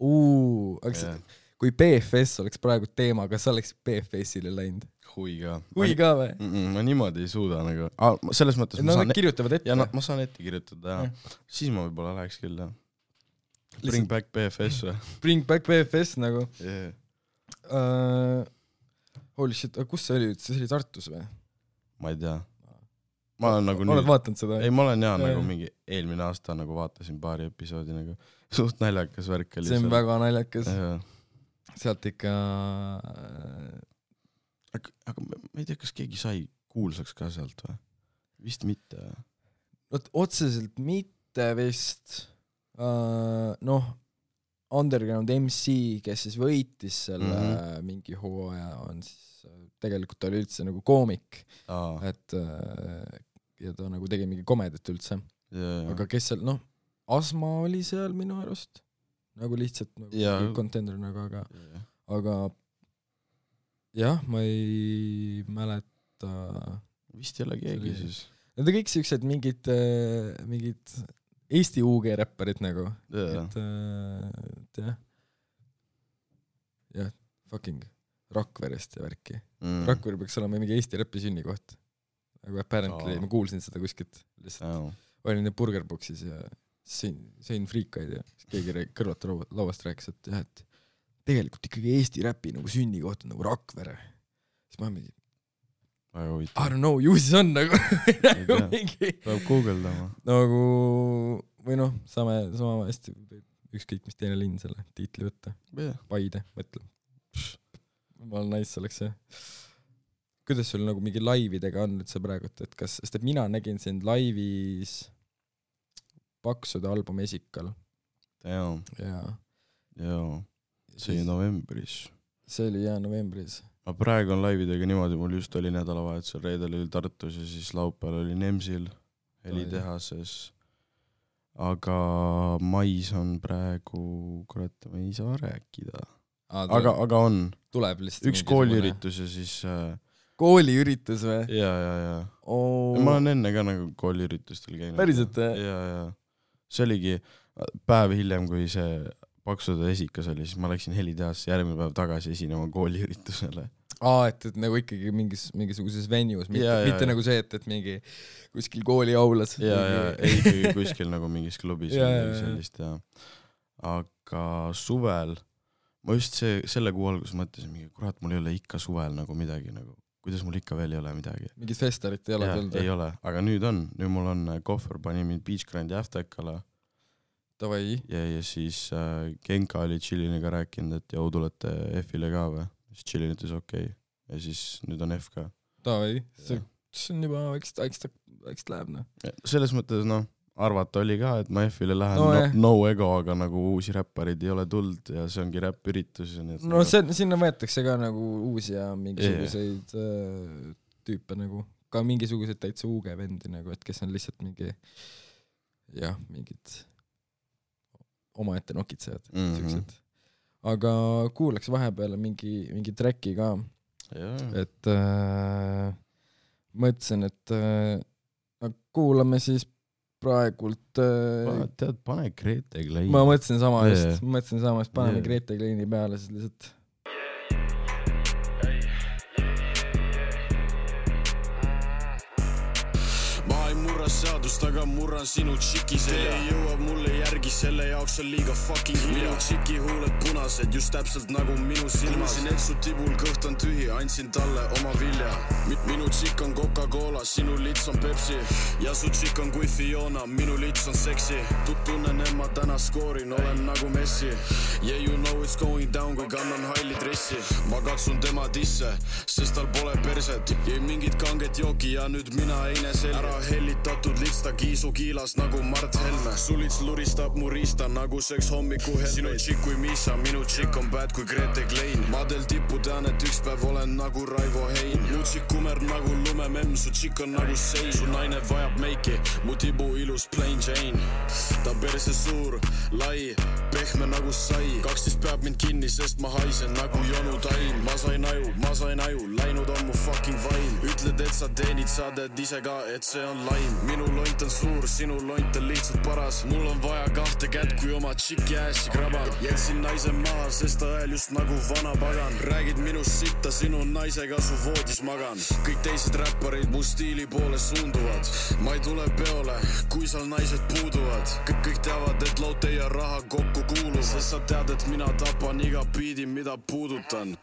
[SPEAKER 2] Uu, aga yeah. kui B F S oleks praegu teema, kas oleks B F S-ile läinud?
[SPEAKER 1] Hui ka.
[SPEAKER 2] Hui ka või?
[SPEAKER 1] Mm -mm, ma niimoodi ei suuda nagu. Ah, selles mõttes
[SPEAKER 2] no,
[SPEAKER 1] ma saan...
[SPEAKER 2] kirjutavad ette.
[SPEAKER 1] Ja no, ma saan ette kirjutada, jah. Ja. Siis ma võib-olla läheks küll, jah. Bring back B F S või?
[SPEAKER 2] Bring back B F S nagu.
[SPEAKER 1] Yeah.
[SPEAKER 2] Uh, holy shit, kus see oli? See oli Tartus või?
[SPEAKER 1] Ma ei tea. Ma olen nagu
[SPEAKER 2] Oled nüüd... vaatanud seda?
[SPEAKER 1] Ei, ma olen jah, ja, nagu mingi eelmine aasta nagu vaatasin paari episoodi nagu suht naljakas värk.
[SPEAKER 2] See on seal. Väga naljakas.
[SPEAKER 1] Ja.
[SPEAKER 2] Sealt ikka...
[SPEAKER 1] Aga, aga ma ei tea, kas keegi sai kuulsaks ka sealt või? Vist mitte.
[SPEAKER 2] No, otseselt mitte vist... Uh, noh, Underground M C, kes siis võitis selle mm-hmm. mingi hooaja, on siis tegelikult ta oli üldse nagu koomik,
[SPEAKER 1] Aa.
[SPEAKER 2] et uh, ja ta nagu tegi mingi komedit üldse,
[SPEAKER 1] yeah,
[SPEAKER 2] aga kes seal, noh, Asma oli seal minu arust, nagu lihtsalt nagu yeah. contender nagu, aga yeah. aga jah, ma ei mäleta
[SPEAKER 1] vist ei ole keegi siis
[SPEAKER 2] need on kõik siuksed mingid mingid Eesti U G räpparid nagu,
[SPEAKER 1] yeah.
[SPEAKER 2] et, et jah, jah, fucking Rakverest ja värki. Mm. Rakveri peaks olema mingi Eesti räppi sünnikoht. Nagu apparently, oh. ma kuulsin seda kuskilt. Lihtsalt oh. olin need burgerboxis ja sõin, sõin friikaid ja keegi kõrvalt lauast rääkis, et jah, et tegelikult ikkagi Eesti räppi nagu sünnikoht on nagu Rakvere. Siis ma mingi I don't know, ju siis on nagu, nagu mingi
[SPEAKER 1] peab guugeldama
[SPEAKER 2] nagu, või noh, saame, sama hästi ükskõik mis teine linn selle tiitli võtta
[SPEAKER 1] yeah.
[SPEAKER 2] Paide, mõtlen ma olen nice oleks see kuidas sul nagu mingi laividega on nüüd see praegu, et kas, sest et mina nägin sind laivis Paksude albumi Esikal
[SPEAKER 1] jaa
[SPEAKER 2] jaa
[SPEAKER 1] jaa, see oli novembris
[SPEAKER 2] see oli jaa novembris
[SPEAKER 1] ma praegu on laividega niimoodi, mul just oli nädalavahetusel, reedel oli Tartus ja siis laupäeval oli Nemsil helitehases, aga mais on praegu, kurat, ma ei saa rääkida,
[SPEAKER 2] Aa,
[SPEAKER 1] aga, aga on
[SPEAKER 2] tuleb lihtsalt
[SPEAKER 1] üks kooliüritus ja siis äh...
[SPEAKER 2] kooliüritus või?
[SPEAKER 1] jaa, jaa, jaa
[SPEAKER 2] oh.
[SPEAKER 1] ma olen enne ka nagu kooliüritustel käinud
[SPEAKER 2] päriselt?
[SPEAKER 1] jaa, jaa, see oligi päev hiljem, kui see Paksude Esikas oli, siis ma läksin helitehasse järgmine päev tagasi esinema kooliüritusele.
[SPEAKER 2] Aa, et, et nagu ikkagi mingis, mingisuguses venues, mitte, ja, mitte ja, nagu see, et, et mingi kuskil kooli aulas.
[SPEAKER 1] Jaa, jaa, ei ikkagi kuskil nagu mingis klubis ja, ja, sellist, ja. Aga suvel, ma just see, selle kuu algus mõtlesin, mingi, kurat, mul ei ole ikka suvel nagu midagi, nagu, kuidas mul ikka veel ei ole midagi.
[SPEAKER 2] Mingit festarit ei ole
[SPEAKER 1] ja,
[SPEAKER 2] tulnud?
[SPEAKER 1] Ei ole, aga nüüd on, nüüd mul on kohver, pani mind Beach Grandi Aftekale.
[SPEAKER 2] Tavai.
[SPEAKER 1] Ja, ja siis äh, Genka oli Chilliniga rääkinud, et jau tulete F-ile ka või? Siis Chillin ütles okei. Okay. Ja siis nüüd on F ka.
[SPEAKER 2] Tavai. See, see on juba väikest, väikest, väikest läheb, noh.
[SPEAKER 1] Selles mõttes, noh, arvata oli ka, et ma F-ile lähen no, no, no ego, aga nagu uusi räpparid ei ole tuld ja see ongi räppüritus.
[SPEAKER 2] No nagu... see, sinna võetakse ka nagu uusi ja mingisuguseid yeah. tüüpe nagu, ka mingisuguseid täitsa uuge vendi nagu, et kes on lihtsalt mingi jah, mingid oma ette nokitsejad mm-hmm. aga kuulaks vahepeal mingi, mingi tracki ka
[SPEAKER 1] yeah.
[SPEAKER 2] et äh, mõtlesin, et äh, kuulame siis praegult äh,
[SPEAKER 1] tead, pane Grete Kleini
[SPEAKER 2] ma mõtlesin sama yeah. just, mõtlesin sama, et paneme yeah. Grete Kleini peale siis lihtsalt
[SPEAKER 3] seadust, aga murran sinu tšiki selja jõuab mulle järgi, selle jaoks on liiga fucking minu tšiki huuled punased, just täpselt nagu minu silmas kuulsin, et su tibul kõht on tühi, andsin talle oma vilja minu tšik on Coca-Cola, sinu lits on Pepsi ja su tšik on kui Fiona, minu lits on seksi tunnen, et ma täna skoorin, olen nagu Messi yeah, you know it's going down, kui kannan halli dressi ma katsun tema disse, sest tal pole perset jäi mingit kanget jooki ja nüüd mina eine selge ära hellita purskatud litsta kiisu kiilas nagu Mart Helme. Sulits luristab mu riista nagu seks hommiku helmeid. Sinu tšikk kui Miisa, minu tšikk on bad kui Grete Klein. Ma del tippu tean, et üks päev olen nagu Raivo Hein. Mu tšikk kumer nagu lumememm, su tšikk on nagu sein. Su naine vajab meiki, mu tibu ilus plain Jane. Ta perse suur, lai, pehme nagu sai. kaksteist peab mind kinni, sest ma haisen nagu Jonu Tain. Ma sain aju, ma sain aju, läinud on mu fucking vaim. Ütled, et sa teenid, sa teed ise ka, et see on laim. Minu lont on suur, sinu lont on lihtsalt paras. Mul on vaja kahte kätt, kui oma tšiki ässi krabab. Jätsin naise maha, sest ta hääl just nagu vana pagan. Räägid minust sitta, sinu naisega su voodis magan. Kõik teised räpparid mu stiili poole suunduvad. Ma ei tule peole, kui seal naised puuduvad. Kõik, kõik teavad, et laute ja raha kokku kuuluvad. Sest sa tead, et mina tapan iga biidi, mida puudutan.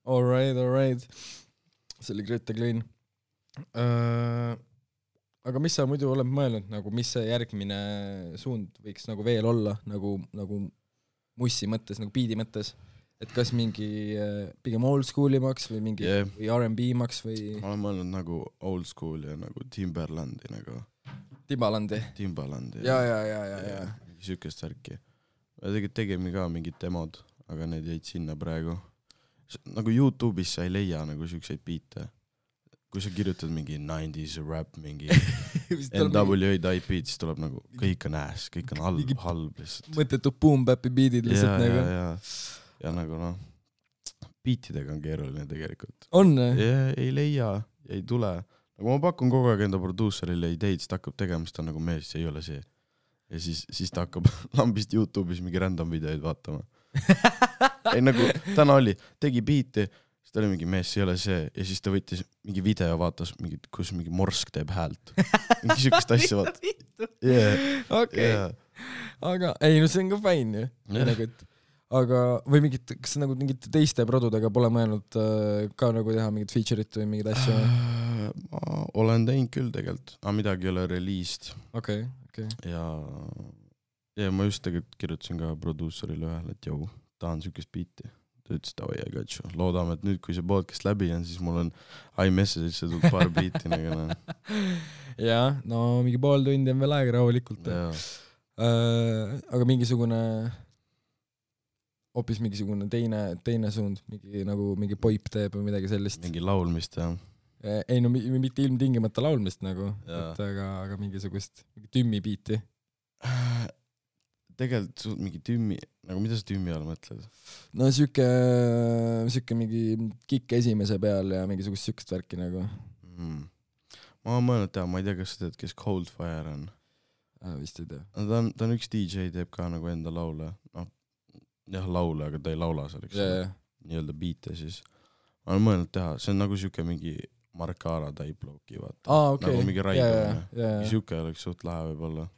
[SPEAKER 2] All right, all right. See oli Grete Klein. Uh, aga mis sa muidu oled mõelnud, nagu mis see järgmine suund võiks nagu veel olla, nagu, nagu mussi mõttes, nagu beadi mõttes? Et kas mingi uh, pigem old schoolimaks või mingi yeah. või R and B maks või?
[SPEAKER 1] Ma olen mõelnud nagu old school ja nagu Timberlandi nagu.
[SPEAKER 2] Timbalandi?
[SPEAKER 1] Timbalandi.
[SPEAKER 2] Ja, ja, ja, ja, ja.
[SPEAKER 1] ja. Sükest värki. Tegid tegime ka mingid demod, aga need jäid sinna praegu. Nagu YouTube'is sa ei leia nagu sükseid biite. Kui sa kirjutad mingi nineties rap, mingi N W A type beat, siis tuleb nagu kõik on ass, kõik on halb, halb lihtsalt.
[SPEAKER 2] Mõttetu boom-bap'i beatid lihtsalt
[SPEAKER 1] ja,
[SPEAKER 2] nagu.
[SPEAKER 1] Ja, ja. ja nagu noh, beatidega on keeruline tegelikult.
[SPEAKER 2] On?
[SPEAKER 1] Ja, ei leia, ei tule. Nagu ma pakun kogu aeg enda produuserile ideid, siis ta hakkab tegema, siis ta on nagu mees, see ei ole see. Ja siis, siis ta hakkab lambist YouTube'is mingi random videoid vaatama. ei nagu, täna oli, tegi biiti, siis ta oli mingi mees, see ei ole see, ja siis ta võttis mingi video, vaatas, mingi, kus mingi morsk teeb häält. mingi sükest asja vaat. Yeah.
[SPEAKER 2] Okay. Yeah. Aga, ei, no see on ka fine ju. Yeah. Nagu, et, aga, või mingit, kas nagu mingit teiste produdega pole mõelnud äh, ka nagu teha mingit feature'it või mingid asju?
[SPEAKER 1] Äh, ma olen teinud küll tegelikult, aga midagi ei ole released.
[SPEAKER 2] Okei, okay, okei. Okay.
[SPEAKER 1] Ja... Ja ma just tegelikult kirjutasin ka produuserile ühel, et jau, tahan sükest biiti. Ta ütles, et oi, I got you. Loodame, et nüüd, kui see podcast läbi on, siis mul on iMessage'isse tulnud paar biiti. Nagu,
[SPEAKER 2] ja, no mingi pool tundi on veel aega rahulikult. Äh, aga mingisugune, hoopis mingisugune teine, teine suund, mingi, nagu mingi poip teeb või midagi sellist.
[SPEAKER 1] Mingi laulmist, jah.
[SPEAKER 2] Ei, no mitte ilmtingimata laulmist nagu, et, aga, aga mingisugust mingi tümmi biiti.
[SPEAKER 1] Tegelikult suht mingi tümmi, nagu mida sa tümmi all mõtled?
[SPEAKER 2] No süke, süke mingi kikk esimese peal ja mingisugust sükest värki nagu.
[SPEAKER 1] Mm. Ma olen mõelnud teha, ma ei tea, kas sa tead, kes Coldfire on.
[SPEAKER 2] Ah, vist ei tea.
[SPEAKER 1] No, ta, on, ta on üks D J, teeb ka nagu enda laule. No, jah, laule, aga ta ei laula seal, eks
[SPEAKER 2] yeah, yeah.
[SPEAKER 1] Nii-öelda biite siis. Ma olen mõelnud teha, see on nagu süke mingi Markara type looki, vaata.
[SPEAKER 2] Ah, okay.
[SPEAKER 1] Nagu mingi Raido.
[SPEAKER 2] Yeah, yeah, yeah.
[SPEAKER 1] Süke oleks suht lahe võib-olla.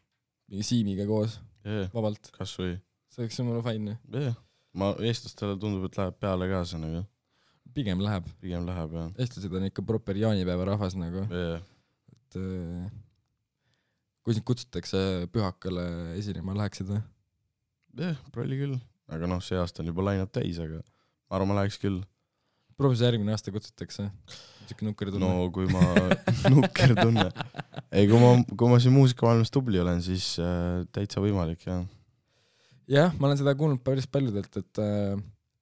[SPEAKER 2] Mingi Siimiga koos.
[SPEAKER 1] Yeah,
[SPEAKER 2] vabalt.
[SPEAKER 1] Kas või?
[SPEAKER 2] See oleks mulle fine.
[SPEAKER 1] Yeah. Ma eestlastele tundub, et läheb peale ka see nagu.
[SPEAKER 2] Pigem läheb.
[SPEAKER 1] Pigem läheb, jah.
[SPEAKER 2] Eestlased on ikka proper jaanipäeva rahvas nagu.
[SPEAKER 1] Yeah.
[SPEAKER 2] Et äh, kui sind kutsutakse pühakale esinema, läheksid või?
[SPEAKER 1] Jah, yeah, prolli küll. Aga noh, see aasta on juba lainab täis, aga ma arvan, ma läheks küll.
[SPEAKER 2] Proovis järgmine aasta kutsutakse. Siuke nukker tunne.
[SPEAKER 1] No kui ma nukker tunne. Ei, kui ma, kui ma siin muusikamaailmas tubli olen, siis äh, täitsa võimalik, jah.
[SPEAKER 2] Jah, ma olen seda kuulnud päris paljudelt, et,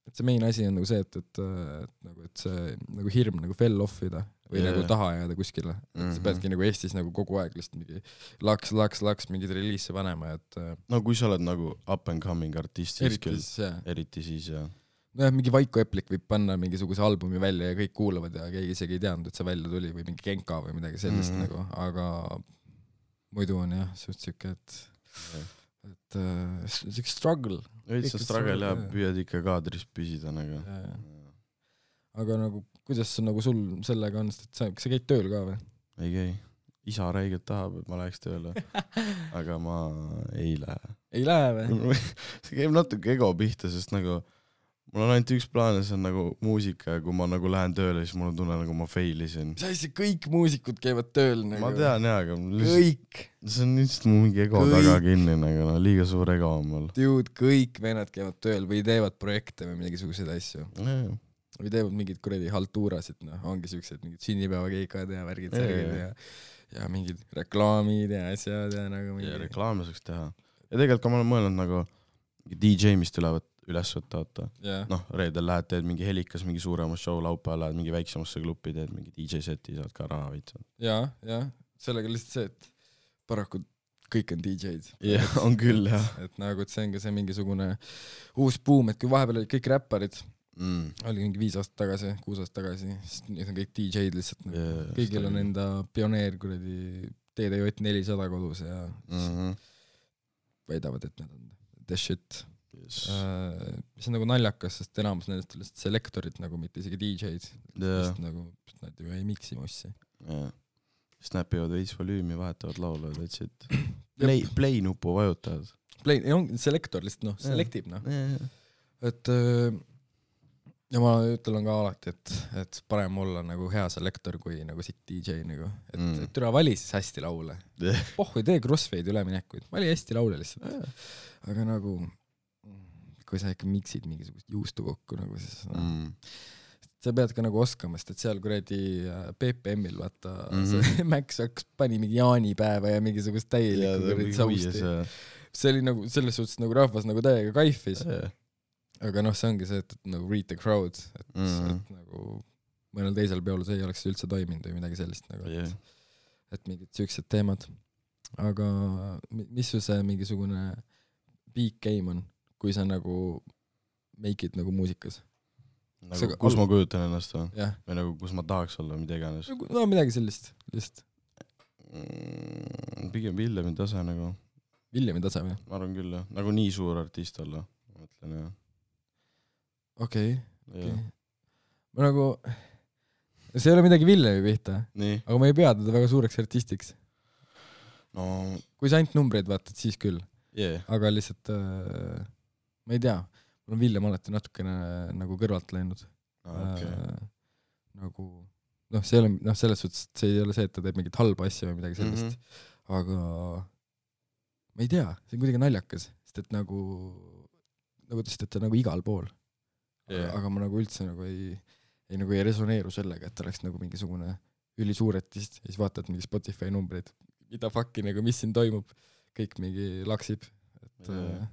[SPEAKER 2] et see main asi on nagu see, et, et, et, nagu, et see nagu hirm nagu fell offida või yeah. nagu taha jääda kuskile. Et mm-hmm. sa peadki nagu Eestis nagu kogu aeg lihtsalt mingi laks, laks, laks mingid reliise panema. Et,
[SPEAKER 1] no kui sa oled nagu up and coming artist, siis
[SPEAKER 2] eriti
[SPEAKER 1] küll.
[SPEAKER 2] Siis, jah.
[SPEAKER 1] Eriti siis, jah.
[SPEAKER 2] Nojah, mingi Vaiko Eplik võib panna mingisuguse albumi välja ja kõik kuulavad ja keegi isegi ei teadnud, et see välja tuli või mingi Genka või midagi sellist mm-hmm. nagu, aga muidu on jah, suht siuke, et yeah. et uh, siuke struggle.
[SPEAKER 1] Veits sa struggle ja püüad ikka kaadris püsida nagu. Ja,
[SPEAKER 2] ja. Aga nagu, kuidas nagu sul sellega on, et sa, sa käid tööl ka või?
[SPEAKER 1] Ei käi. Isa räigelt tahab, et ma läheks tööle, aga ma ei lähe.
[SPEAKER 2] Ei lähe või?
[SPEAKER 1] See käib natuke ego pihta, sest nagu mul on ainult üks plaan ja see on nagu muusika ja kui ma nagu lähen tööle, siis mul on tunne nagu ma failisin.
[SPEAKER 2] Mis asja, kõik muusikud käivad tööl nagu.
[SPEAKER 1] Ma tean jah, aga
[SPEAKER 2] kõik.
[SPEAKER 1] See on lihtsalt mu mingi ego kõik. Taga kinni nagu, no, liiga suur ego on mul.
[SPEAKER 2] Dude, kõik vennad käivad tööl või teevad projekte või mingisugused asju.
[SPEAKER 1] Yeah.
[SPEAKER 2] Või teevad mingid kuradi haltuurasid, noh, ongi siuksed mingid sünnipäevakeikad ja värgid yeah. ja, ja mingid reklaamid ja asjad ja nagu mingi...
[SPEAKER 1] Ja reklaame saaks teha. Ja tegelikult ka ma olen mõelnud nagu D J mist ülevat üles võtta, võtta. Yeah. Noh, reedel lähed, teed mingi helikas, mingi suurema show, laupäeval lähed mingi väiksemasse klubi, teed mingi D J seti, saad ka raha võitsad.
[SPEAKER 2] Jaa, jah, sellega lihtsalt see, et paraku kõik on D J-d.
[SPEAKER 1] Jah, yeah, on küll, jah.
[SPEAKER 2] Et nagu, et see on ka see mingisugune uus boom, et kui vahepeal olid kõik räpparid, mm. oli mingi viis aastat tagasi, kuus aastat tagasi, siis nüüd on kõik D J-d lihtsalt. Yeah, kõigil on enda pioneer, kuradi T D J nelisada kodus ja mm-hmm. väidavad, et need on the shit. Yes. Uh, mis on nagu naljakas, sest enamus nendest on lihtsalt selektorid nagu, mitte isegi D J-d. Yeah. Sest nagu, nad ju ei miksi mussi.
[SPEAKER 1] Yeah. Snapivad veits volüümi, vahetavad laulavad, võtsid play, play nupu vajutavad.
[SPEAKER 2] Play, on selektor lihtsalt, noh, selektib, noh. Yeah. Et uh, ja ma ütlen ka alati, et, et parem olla nagu hea selektor kui nagu sitt D J nagu. Et, mm. et türa vali siis hästi laule. Yeah. Oh, ei tee crossfade üleminekuid. Vali hästi laule lihtsalt. Yeah. Aga nagu kui sa ikka miksid mingisugust juustu kokku nagu siis no, mm. sa pead ka nagu oskama, sest et seal kuradi P P M-il vaata mm-hmm. see Max X pani mingi jaanipäeva ja mingisugust täielikku kuradi sausti. See oli nagu selles suhtes nagu rahvas nagu täiega kaifis. Yeah. Aga noh, see ongi see, et, et nagu read the crowd, et, mm-hmm. et nagu mõnel teisel peol see ei oleks üldse toiminud või midagi sellist nagu, yeah. et, et mingid siuksed teemad. Aga mis su see mingisugune big game on? Kui sa nagu make it nagu muusikas.
[SPEAKER 1] Nagu, sa, kus al... ma kujutan ennast või?
[SPEAKER 2] Yeah.
[SPEAKER 1] Või nagu kus ma tahaks olla, mida iganes?
[SPEAKER 2] No midagi sellist, lihtsalt.
[SPEAKER 1] Mm, pigem Villemi tase nagu.
[SPEAKER 2] Villemi tase või?
[SPEAKER 1] Ma arvan küll, jah. Nagu nii suur artist olla, ma mõtlen, jah.
[SPEAKER 2] Okei, okay. okay. Ma nagu, see ei ole midagi Villemi pihta,
[SPEAKER 1] nii.
[SPEAKER 2] Aga ma ei pea teda väga suureks artistiks.
[SPEAKER 1] No...
[SPEAKER 2] Kui sa ainult numbreid vaatad, siis küll.
[SPEAKER 1] Yeah.
[SPEAKER 2] Aga lihtsalt äh, ma ei tea, mul on Villem alati natukene nagu kõrvalt läinud.
[SPEAKER 1] Ah, okay.
[SPEAKER 2] äh, nagu noh, see ei ole, noh, selles suhtes see ei ole see, et ta teeb mingit halba asja või midagi sellist, mm-hmm. aga ma ei tea, see on kuidagi naljakas, sest et nagu nagu tõesti, et ta nagu igal pool. Yeah. Aga ma nagu üldse nagu ei, ei, nagu ei resoneeru sellega, et oleks nagu mingisugune ülisuuretist ja siis vaatad mingi Spotify numbreid, mida fucki nagu, mis siin toimub, kõik mingi laksib, et yeah. äh,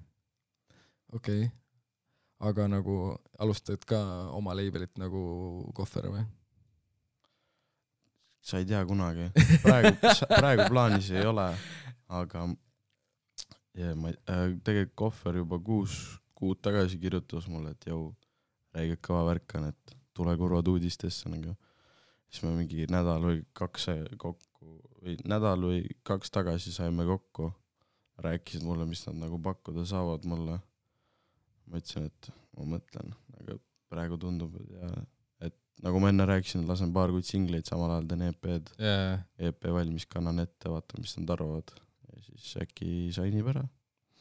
[SPEAKER 2] okei. Okay. Aga nagu alustad ka oma labelit nagu Kohver või?
[SPEAKER 1] Sa ei tea kunagi. Praegu, praegu plaanis ei ole, aga yeah, ma, äh, tegelikult Kohver juba kuus kuud tagasi kirjutas mulle, et jau, räägid kõva värkan, et tule kurvad uudistesse. Nagu. Siis me mingi nädal või kaks kokku, või nädal või kaks tagasi saime kokku. Rääkisid mulle, mis nad nagu pakkuda saavad mulle. Ma ütlesin, et ma mõtlen, aga praegu tundub, ja, et nagu ma enne rääkisin, lasen paar kuid singleid, samal ajal teen E P-d.
[SPEAKER 2] Yeah.
[SPEAKER 1] E P valmis, kannan ette, vaatan, mis nad arvavad. Ja siis äkki sainib ära.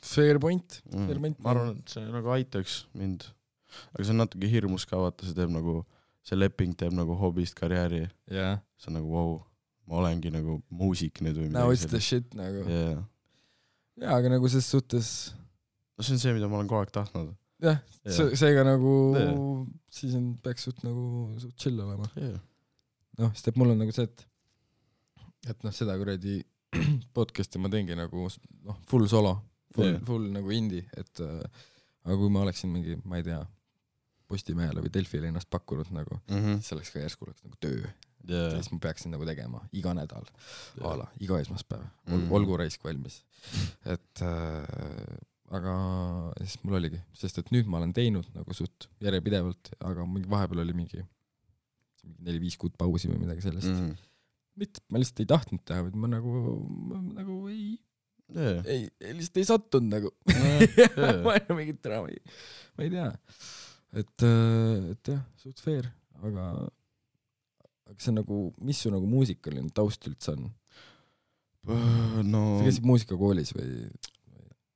[SPEAKER 2] Fair point.
[SPEAKER 1] Mm.
[SPEAKER 2] Fair point.
[SPEAKER 1] Ma arvan, et see nagu aitaks mind. Aga see on natuke hirmus ka, vaata, see teeb nagu, see leping teeb nagu hobist karjääri.
[SPEAKER 2] Yeah.
[SPEAKER 1] See on nagu, wow, ma olengi nagu muusik nüüd või midagi.
[SPEAKER 2] Now it's the shit nagu.
[SPEAKER 1] Yeah.
[SPEAKER 2] Jaa, aga nagu ses suhtes...
[SPEAKER 1] No see on see, mida ma olen kogu aeg tahtnud.
[SPEAKER 2] Jah,
[SPEAKER 1] yeah.
[SPEAKER 2] seega nagu
[SPEAKER 1] yeah.
[SPEAKER 2] siis on, peaks suht nagu suht chill olema.
[SPEAKER 1] Yeah.
[SPEAKER 2] Noh, sest et mul on nagu see, et et noh, seda kuradi podcasti ma teengi nagu noh, full solo, full, yeah. full nagu indie, et äh, aga kui ma oleksin mingi, ma ei tea, Postimehele või Delfile ennast pakkunud nagu, mm-hmm. siis oleks ka järsku oleks nagu töö. Yeah. Siis ma peaksin nagu tegema iga nädal, yeah. ala, iga esmaspäev, Ol, mm-hmm. olgu raisk valmis. Et äh, aga siis mul oligi, sest et nüüd ma olen teinud nagu suht järjepidevalt, aga mingi vahepeal oli mingi neli-viis kuud pausi või midagi sellest. Mm-hmm. Mitte, ma lihtsalt ei tahtnud teha, vaid ma nagu, ma, nagu ei, yeah. ei, ei, lihtsalt ei sattunud nagu. Yeah. ma ei ole mingit draama, ma ei tea. Et, et jah, suht fair, aga aga see on nagu, mis su nagu muusikaline taust üldse on?
[SPEAKER 1] No...
[SPEAKER 2] Sa käisid muusikakoolis või?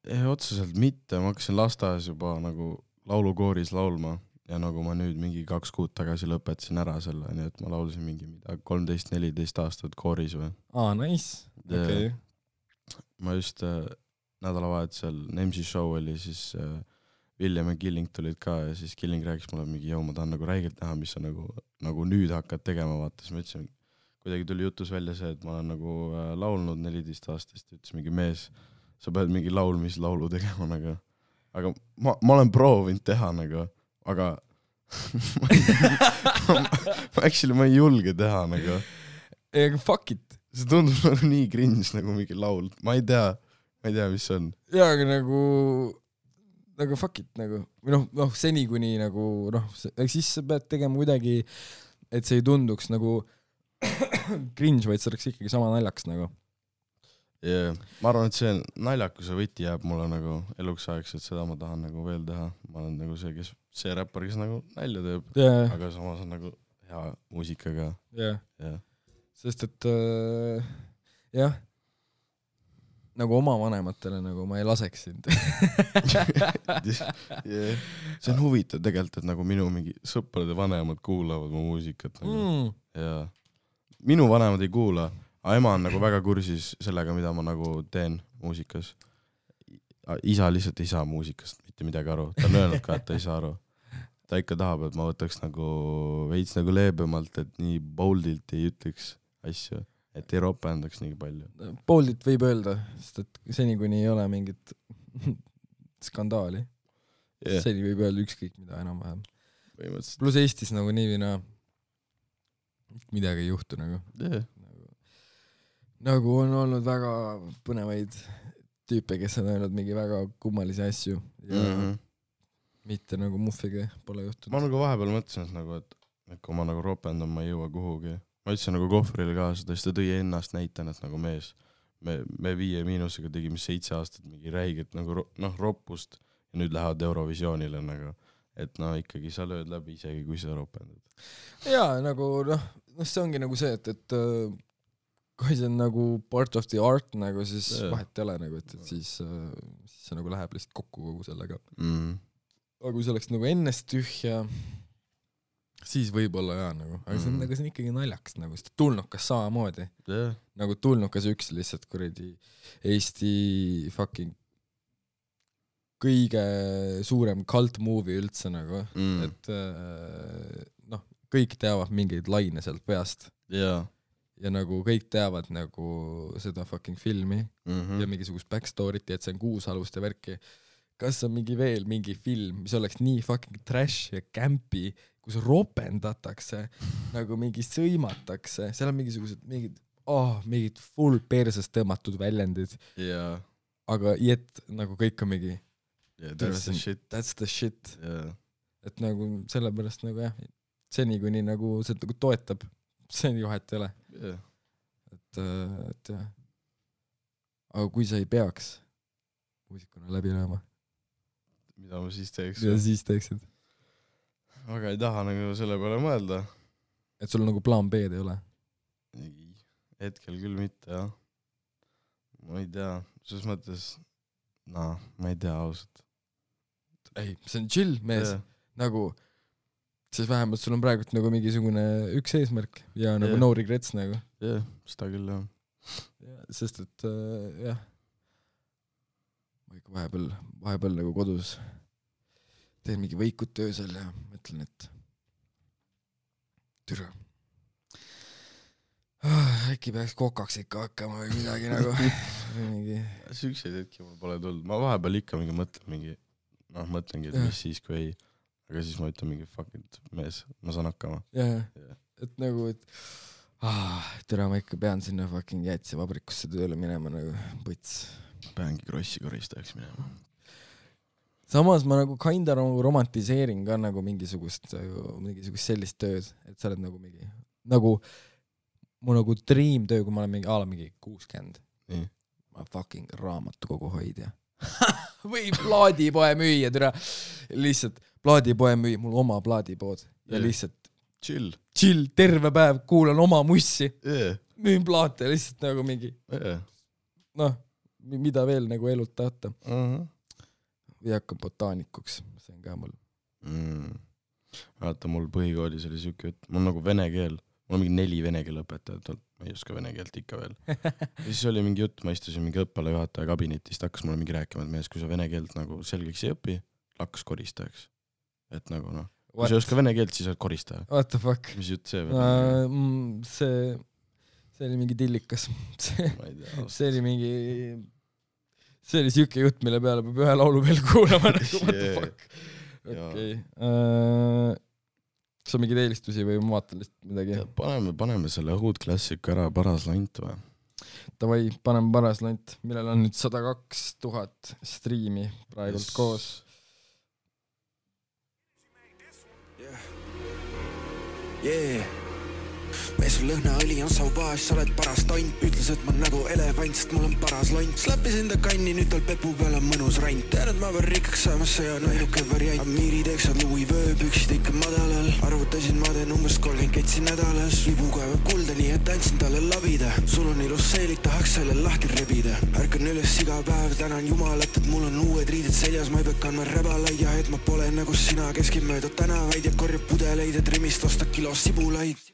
[SPEAKER 1] Ei, otseselt mitte, ma hakkasin lasteaias juba nagu laulukooris laulma ja nagu ma nüüd mingi kaks kuud tagasi lõpetasin ära selle, nii et ma laulsin mingi mida kolmteist neliteist aastat kooris või.
[SPEAKER 2] Aa, nice. Okay.
[SPEAKER 1] Ma just äh, nädalavahetusel M C show oli, siis äh, William ja Killing tulid ka ja siis Killing rääkis mulle mingi, joo, ma tahan nagu räigelt näha, mis sa nagu, nagu nüüd hakkad tegema, vaata. Siis ma ütlesin, kuidagi tuli jutus välja see, et ma olen nagu äh, laulnud neliteist aastast, ütles mingi mees, sa pead mingi laulmislaulu tegema nagu. Aga ma, ma olen proovinud teha nagu, aga ma, ma, actually ma ei julge teha nagu.
[SPEAKER 2] Ega fuck it.
[SPEAKER 1] See tundub nagu nii cringe nagu mingi laul. Ma ei tea, ma ei tea, mis see on.
[SPEAKER 2] Jaa, aga nagu, nagu fuck it nagu. Või noh, noh, seni kuni nagu, noh, siis sa pead tegema kuidagi, et see ei tunduks nagu cringe, vaid see oleks ikkagi sama naljaks nagu.
[SPEAKER 1] Yeah. Ma arvan, et see naljakuse võti jääb mulle nagu eluks ajaks, et seda ma tahan nagu veel teha. Ma olen nagu see, kes, see räppar, kes nagu nalja teeb,
[SPEAKER 2] yeah.
[SPEAKER 1] Aga samas on nagu hea muusikaga.
[SPEAKER 2] Yeah.
[SPEAKER 1] Yeah.
[SPEAKER 2] Sest et äh, jah, nagu oma vanematele nagu ma ei laseks sind.
[SPEAKER 1] yeah. See on huvitav tegelikult, et nagu minu mingi sõprade vanemad kuulavad mu muusikat nagu. Mm. Ja minu vanemad ei kuula. Aga ema on nagu väga kursis sellega, mida ma nagu teen muusikas. Isa lihtsalt ei saa muusikast mitte midagi aru. Ta on öelnud ka, et ta ei saa aru. Ta ikka tahab, et ma võtaks nagu veits nagu leebemalt, et nii boldilt ei ütleks asju, et ei ropendaks nii palju.
[SPEAKER 2] Boldilt võib öelda, sest et seni kuni ei ole mingit skandaali. Yeah. Seni võib öelda ükskõik mida enam-vähem. Plus Eestis nagu nii või naa midagi ei juhtu nagu.
[SPEAKER 1] Yeah.
[SPEAKER 2] Nagu on olnud väga põnevaid tüüpe, kes on öelnud mingi väga kummalisi asju ja mm-hmm. mitte nagu muffiga pole juhtunud.
[SPEAKER 1] Ma nagu vahepeal mõtlesin, et, nagu, et, et kui ma nagu ropendan, ma ei jõua kuhugi. Ma ütlesin nagu kohvrile ka seda, siis ta tõi ennast näitan, et nagu mees, me, me viie miinusega tegime seitse aastat mingi räiget nagu noh, roppust ja nüüd lähevad Eurovisioonile nagu, et no ikkagi sa lööd läbi isegi, kui sa ropendad.
[SPEAKER 2] Jaa, nagu noh, noh, see ongi nagu see, et, et kui see on nagu part of the art nagu, siis yeah. vahet ei ole nagu, et, et siis, siis see nagu läheb lihtsalt kokku kogu sellega.
[SPEAKER 1] Mm.
[SPEAKER 2] Aga kui see oleks nagu ennest tühja, siis võib-olla jaa nagu. Aga see on, mm. nagu, see on ikkagi naljaks nagu, sest tulnukas samamoodi.
[SPEAKER 1] Yeah.
[SPEAKER 2] Nagu tulnukas üks lihtsalt kuradi Eesti fucking kõige suurem cult movie üldse nagu. Mm. Et noh, kõik teavad mingeid laine sealt peast.
[SPEAKER 1] Jaa.
[SPEAKER 2] Ja nagu kõik teavad nagu seda fucking filmi
[SPEAKER 1] mm-hmm.
[SPEAKER 2] ja mingisugust backstory't, et see on Kuusaluste värki. Kas on mingi veel mingi film, mis oleks nii fucking trash ja campy, kus ropendatakse, nagu mingi sõimatakse, seal on mingisugused mingid, oh, mingid full persest tõmmatud väljendid.
[SPEAKER 1] Yeah.
[SPEAKER 2] Aga jett nagu kõik on mingi
[SPEAKER 1] yeah, that's the shit.
[SPEAKER 2] That's the shit.
[SPEAKER 1] Yeah.
[SPEAKER 2] Et nagu sellepärast nagu jah, seni kuni nagu see nagu toetab, see on juhet ei ole.
[SPEAKER 1] Yeah.
[SPEAKER 2] Et, et jah. Aga kui sa ei peaks muusikuna läbi lööma?
[SPEAKER 1] Mida ma siis teeks?
[SPEAKER 2] Mida siis teeksid?
[SPEAKER 1] Aga ei taha nagu selle peale mõelda.
[SPEAKER 2] Et sul nagu plaan B-d ei ole?
[SPEAKER 1] Hetkel küll mitte, jah. Ma ei tea. Selles mõttes, no, ma ei tea ausalt.
[SPEAKER 2] Ei, see on chill, mees.
[SPEAKER 1] Yeah.
[SPEAKER 2] Nagu siis vähemalt sul on praegult nagu mingisugune üks eesmärk ja nagu yeah. no regrets nagu.
[SPEAKER 1] Jah, yeah, seda küll jah.
[SPEAKER 2] Ja, sest et äh, jah, ma ikka vahepeal, vahepeal nagu kodus teen mingi võikut töösel ja mõtlen, et türa. Ah, äkki peaks kokaks ikka hakkama või midagi nagu. mingi...
[SPEAKER 1] Sükseid hetki mul pole tulnud. Ma vahepeal ikka mingi mõtlen mingi, noh mõtlengi, et mis siis, kui ei aga siis ma ütlen mingi fuck it, mees, ma saan hakkama.
[SPEAKER 2] Jah, yeah. Et nagu, et ah, tere, ma ikka pean sinna fucking jäätsi vabrikusse tööle minema nagu põts.
[SPEAKER 1] Peangi krossi koristajaks minema.
[SPEAKER 2] Samas ma nagu kinda romantiseerin ka nagu mingisugust, mingisugust sellist tööd, et sa oled nagu mingi, nagu mu nagu dream töö, kui ma olen mingi, aala mingi kuuskümmend.
[SPEAKER 1] Nii.
[SPEAKER 2] Ma fucking raamatu kogu hoidja. või plaadipoe müüa, tere. Lihtsalt plaadipoe müüa, mul oma plaadipood ja yeah. lihtsalt
[SPEAKER 1] chill,
[SPEAKER 2] chill, terve päev kuulan oma mussi
[SPEAKER 1] yeah.
[SPEAKER 2] müün plaate lihtsalt nagu mingi
[SPEAKER 1] yeah.
[SPEAKER 2] noh, mida veel nagu elult tahta
[SPEAKER 1] uh-huh.
[SPEAKER 2] või hakkab botaanikuks, see on ka mul
[SPEAKER 1] mm. vaata, mul põhikoolis oli siuke jutt, mul nagu vene keel, mul on mingi neli vene keele õpetajat, ma ei oska vene keelt ikka veel. Ja siis oli mingi jutt, ma istusin mingi õppalajuhataja kabinetist, hakkas mulle mingi rääkima, et mees, kui sa vene keelt nagu selgeks ei õpi, lakkas koristajaks. Et nagu noh, kui sa ei oska vene keelt, siis oled koristaja.
[SPEAKER 2] What the fuck?
[SPEAKER 1] Mis jutt see veel?
[SPEAKER 2] Uh, see, see oli mingi tillikas. See, see oli mingi, see oli siuke jutt, mille peale peab ühe laulu veel kuulama. What the fuck? Okei. Kas on mingeid eelistusi või ma vaatan lihtsalt midagi?
[SPEAKER 1] Paneme, paneme selle Hood Classic ära, Paras lant või?
[SPEAKER 2] Tavai, paneme Paras lant, millel on nüüd sada kaks tuhat striimi praegult yes. koos.
[SPEAKER 3] Yeah. Mees on lõhnaõli on saubaas, sa oled paras tont. Ütles, et ma nagu elevant, sest mul on paras lont. Slappis enda kanni, nüüd tal pepu peal on mõnus rant. Tean, et ma pean rikkaks saama, see on ainuke variant. Amiiri teeksad Louis vöö, püksid ikka madalal. Arvutasin, ma teen umbes kolmkümmend ketsi nädalas. Libu kaevab kulda, nii et andsin talle labida. Sul on ilus seelik, tahaks selle lahti rebida. Ärkan üles iga päev, tänan jumalat, et mul on uued riided seljas. Ma ei pea kandma räbalaid ja et ma pole nagu sina, keskin mööda tänavaid ja korjab pudeleid, et rimist osta kilo sibulaid.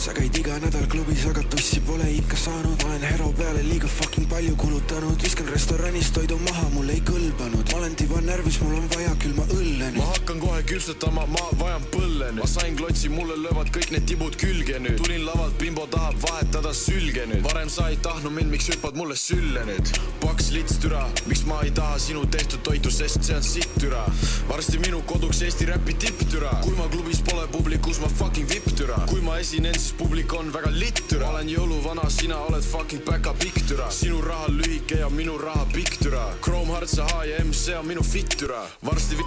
[SPEAKER 3] Sa käid iga nädal klubis, aga tussi pole ikka saanud. Ma olen hero peale liiga fucking palju kulutanud. Viskan restoranis toidu maha, mul ei kõlbanud. Ma olen tiba närvis, mul on vaja küll ma õlle nüüd. Ma hakkan kohe küpsetama, ma vajan põlle nüüd. Ma sain klotsi, mulle löövad kõik need tibud külge nüüd. Tulin lavalt, bimbo tahab vahetada sülge nüüd. Varem sa ei tahnu mind, miks hüppad mulle sülle nüüd. Paks lits türa, miks ma ei taha sinu tehtud toitu, sest see on sitt türa. Varsti minu koduks Eesti räpi tipp türa. Kui ma klubis pole publikus, ma fucking vipp türa. Kui ma esinen, siis publik on väga litt türa. Olen jõuluvana, sina oled fucking päka pikk türa. Sinu raha lühike ja minu raha pikk türa. Chrome Hearts ja H ja M, see on minu fit türa. Varsti v***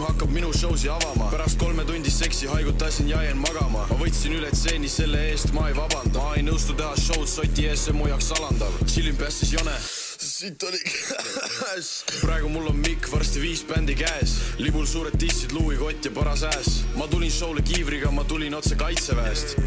[SPEAKER 3] hakkab minu showsi avama. Pärast kolme tundi seksi haigutasin ja jäin magama. Ma võtsin üle tseeni, selle eest ma ei vabanda. Ma ei nõustu teha showd soti ees, see mu jaoks alandav. Chillin päästis jone. Siit oli käes. Praegu mul on mikk, varsti viis bändi käes. Libul suured tissid, Louis kott ja paras ääs. Ma tulin showle kiivriga, ma tulin otse kaitseväest.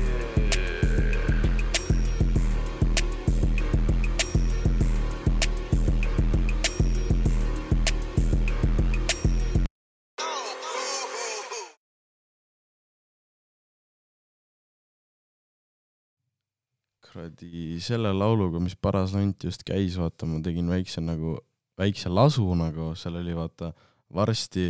[SPEAKER 1] Kradi selle lauluga, mis Paras lant just käis, vaata, ma tegin väikse nagu, väikse lasu nagu, seal oli vaata, varsti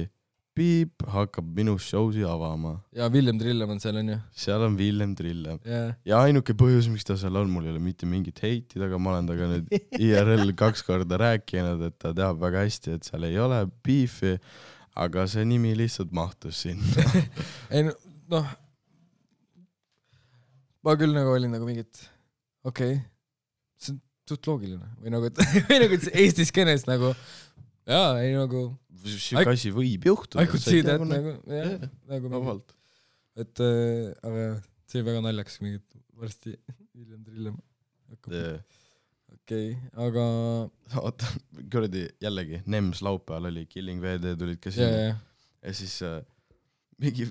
[SPEAKER 1] piip hakkab minu showsi avama.
[SPEAKER 2] Ja Villem Trillem on seal on ju?
[SPEAKER 1] Seal on Villem Trillem.
[SPEAKER 2] Yeah.
[SPEAKER 1] Ja ainuke põhjus, miks ta seal on, mul ei ole mitte mingit heitid, aga ma olen taga nüüd I R L kaks korda rääkinud, et ta teab väga hästi, et seal ei ole beefi, aga see nimi lihtsalt mahtus sinna.
[SPEAKER 2] Ei noh, ma küll nagu olin nagu mingit okei, okay. See on suht loogiline. Või nagu, et, või nagu Eesti skeenes nagu, jaa, ei nagu...
[SPEAKER 1] Siuke asi võib juhtuda.
[SPEAKER 2] I could see that nagu, jah, yeah, nagu
[SPEAKER 1] vabalt.
[SPEAKER 2] Et, äh, aga see on väga naljakas, mingit varsti Villem Trillem hakkab.
[SPEAKER 1] Yeah.
[SPEAKER 2] Okei, okay, aga...
[SPEAKER 1] Oota, kuradi jällegi, Nems laupäeval oli, Killing V D tulid ka sinna.
[SPEAKER 2] Yeah, yeah.
[SPEAKER 1] Ja siis... Äh, mingi,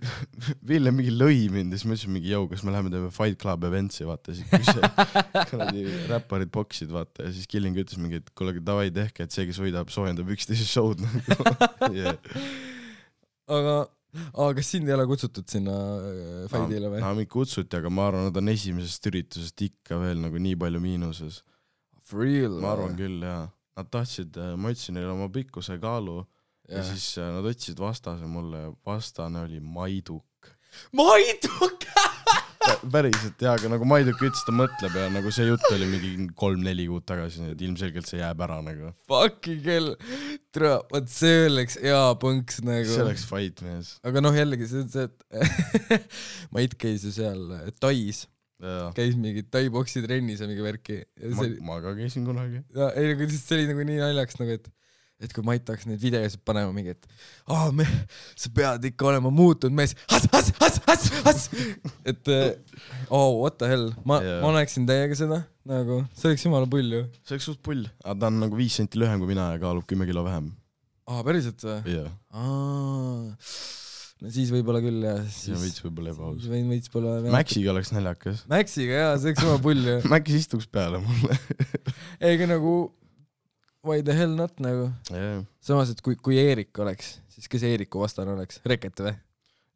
[SPEAKER 1] Villem mingi lõi mind ja siis ma ütlesin mingi jõu, kas me läheme teeme Fight Club eventsi, vaata, siis kui see räpparid boksid, vaata, ja siis Killing ütles mingi, et kuule, davai tehke, et see, kes võidab, soojendab üksteise showd. Yeah.
[SPEAKER 2] Aga, aga kas sind ei ole kutsutud sinna fightile või?
[SPEAKER 1] No, mind kutsuti, aga ma arvan, nad on esimesest üritusest ikka veel nagu nii palju miinuses.
[SPEAKER 2] For real?
[SPEAKER 1] Ma arvan küll, jaa. Nad tahtsid, ma ütlesin neile oma pikkuse kaalu, ja, ja siis nad otsisid vastase mulle ja vastane oli Maiduk.
[SPEAKER 2] Maiduk!
[SPEAKER 1] Päriselt, jaa, aga nagu Maiduk ütles, ta mõtleb ja nagu see jutt oli mingi kolm-neli kuud tagasi, et ilmselgelt see jääb ära nagu.
[SPEAKER 2] Fucking hell. Tere, vaat see oleks hea põnks nagu.
[SPEAKER 1] See oleks fight, mees.
[SPEAKER 2] Aga noh, jällegi see on see, et Mait käis ju seal Tais. Ja. Käis mingi Tai-boksi trennis ja mingi värki. Ja
[SPEAKER 1] ma, see... ma ka käisin kunagi.
[SPEAKER 2] Ja, ei, nagu see oli nagu nii naljaks, nagu et et kui Mait tahaks neid videosid panema mingi, et aa, me, sa pead ikka olema muutunud mees, has, has, has, has, has, et oh, what the hell, ma, yeah. ma näeksin täiega seda, nagu, see oleks jumala pull ju.
[SPEAKER 1] See oleks suht pull, aga ta on nagu viis senti lühem kui mina ja kaalub kümme kilo vähem.
[SPEAKER 2] Aa, päriselt või?
[SPEAKER 1] Jah. Yeah.
[SPEAKER 2] Aa, no siis võib-olla küll jah.
[SPEAKER 1] Siis ja võits võib-olla ebaus.
[SPEAKER 2] Võits pole...
[SPEAKER 1] Maxiga oleks naljakas.
[SPEAKER 2] Maxiga jah, see oleks jumala pull ju.
[SPEAKER 1] Maxis istuks peale mulle.
[SPEAKER 2] Eiga nagu... Why the hell not nagu?
[SPEAKER 1] Yeah.
[SPEAKER 2] Samas, et kui, kui Eerik oleks, siis kes Eeriku vastane oleks? Reket või?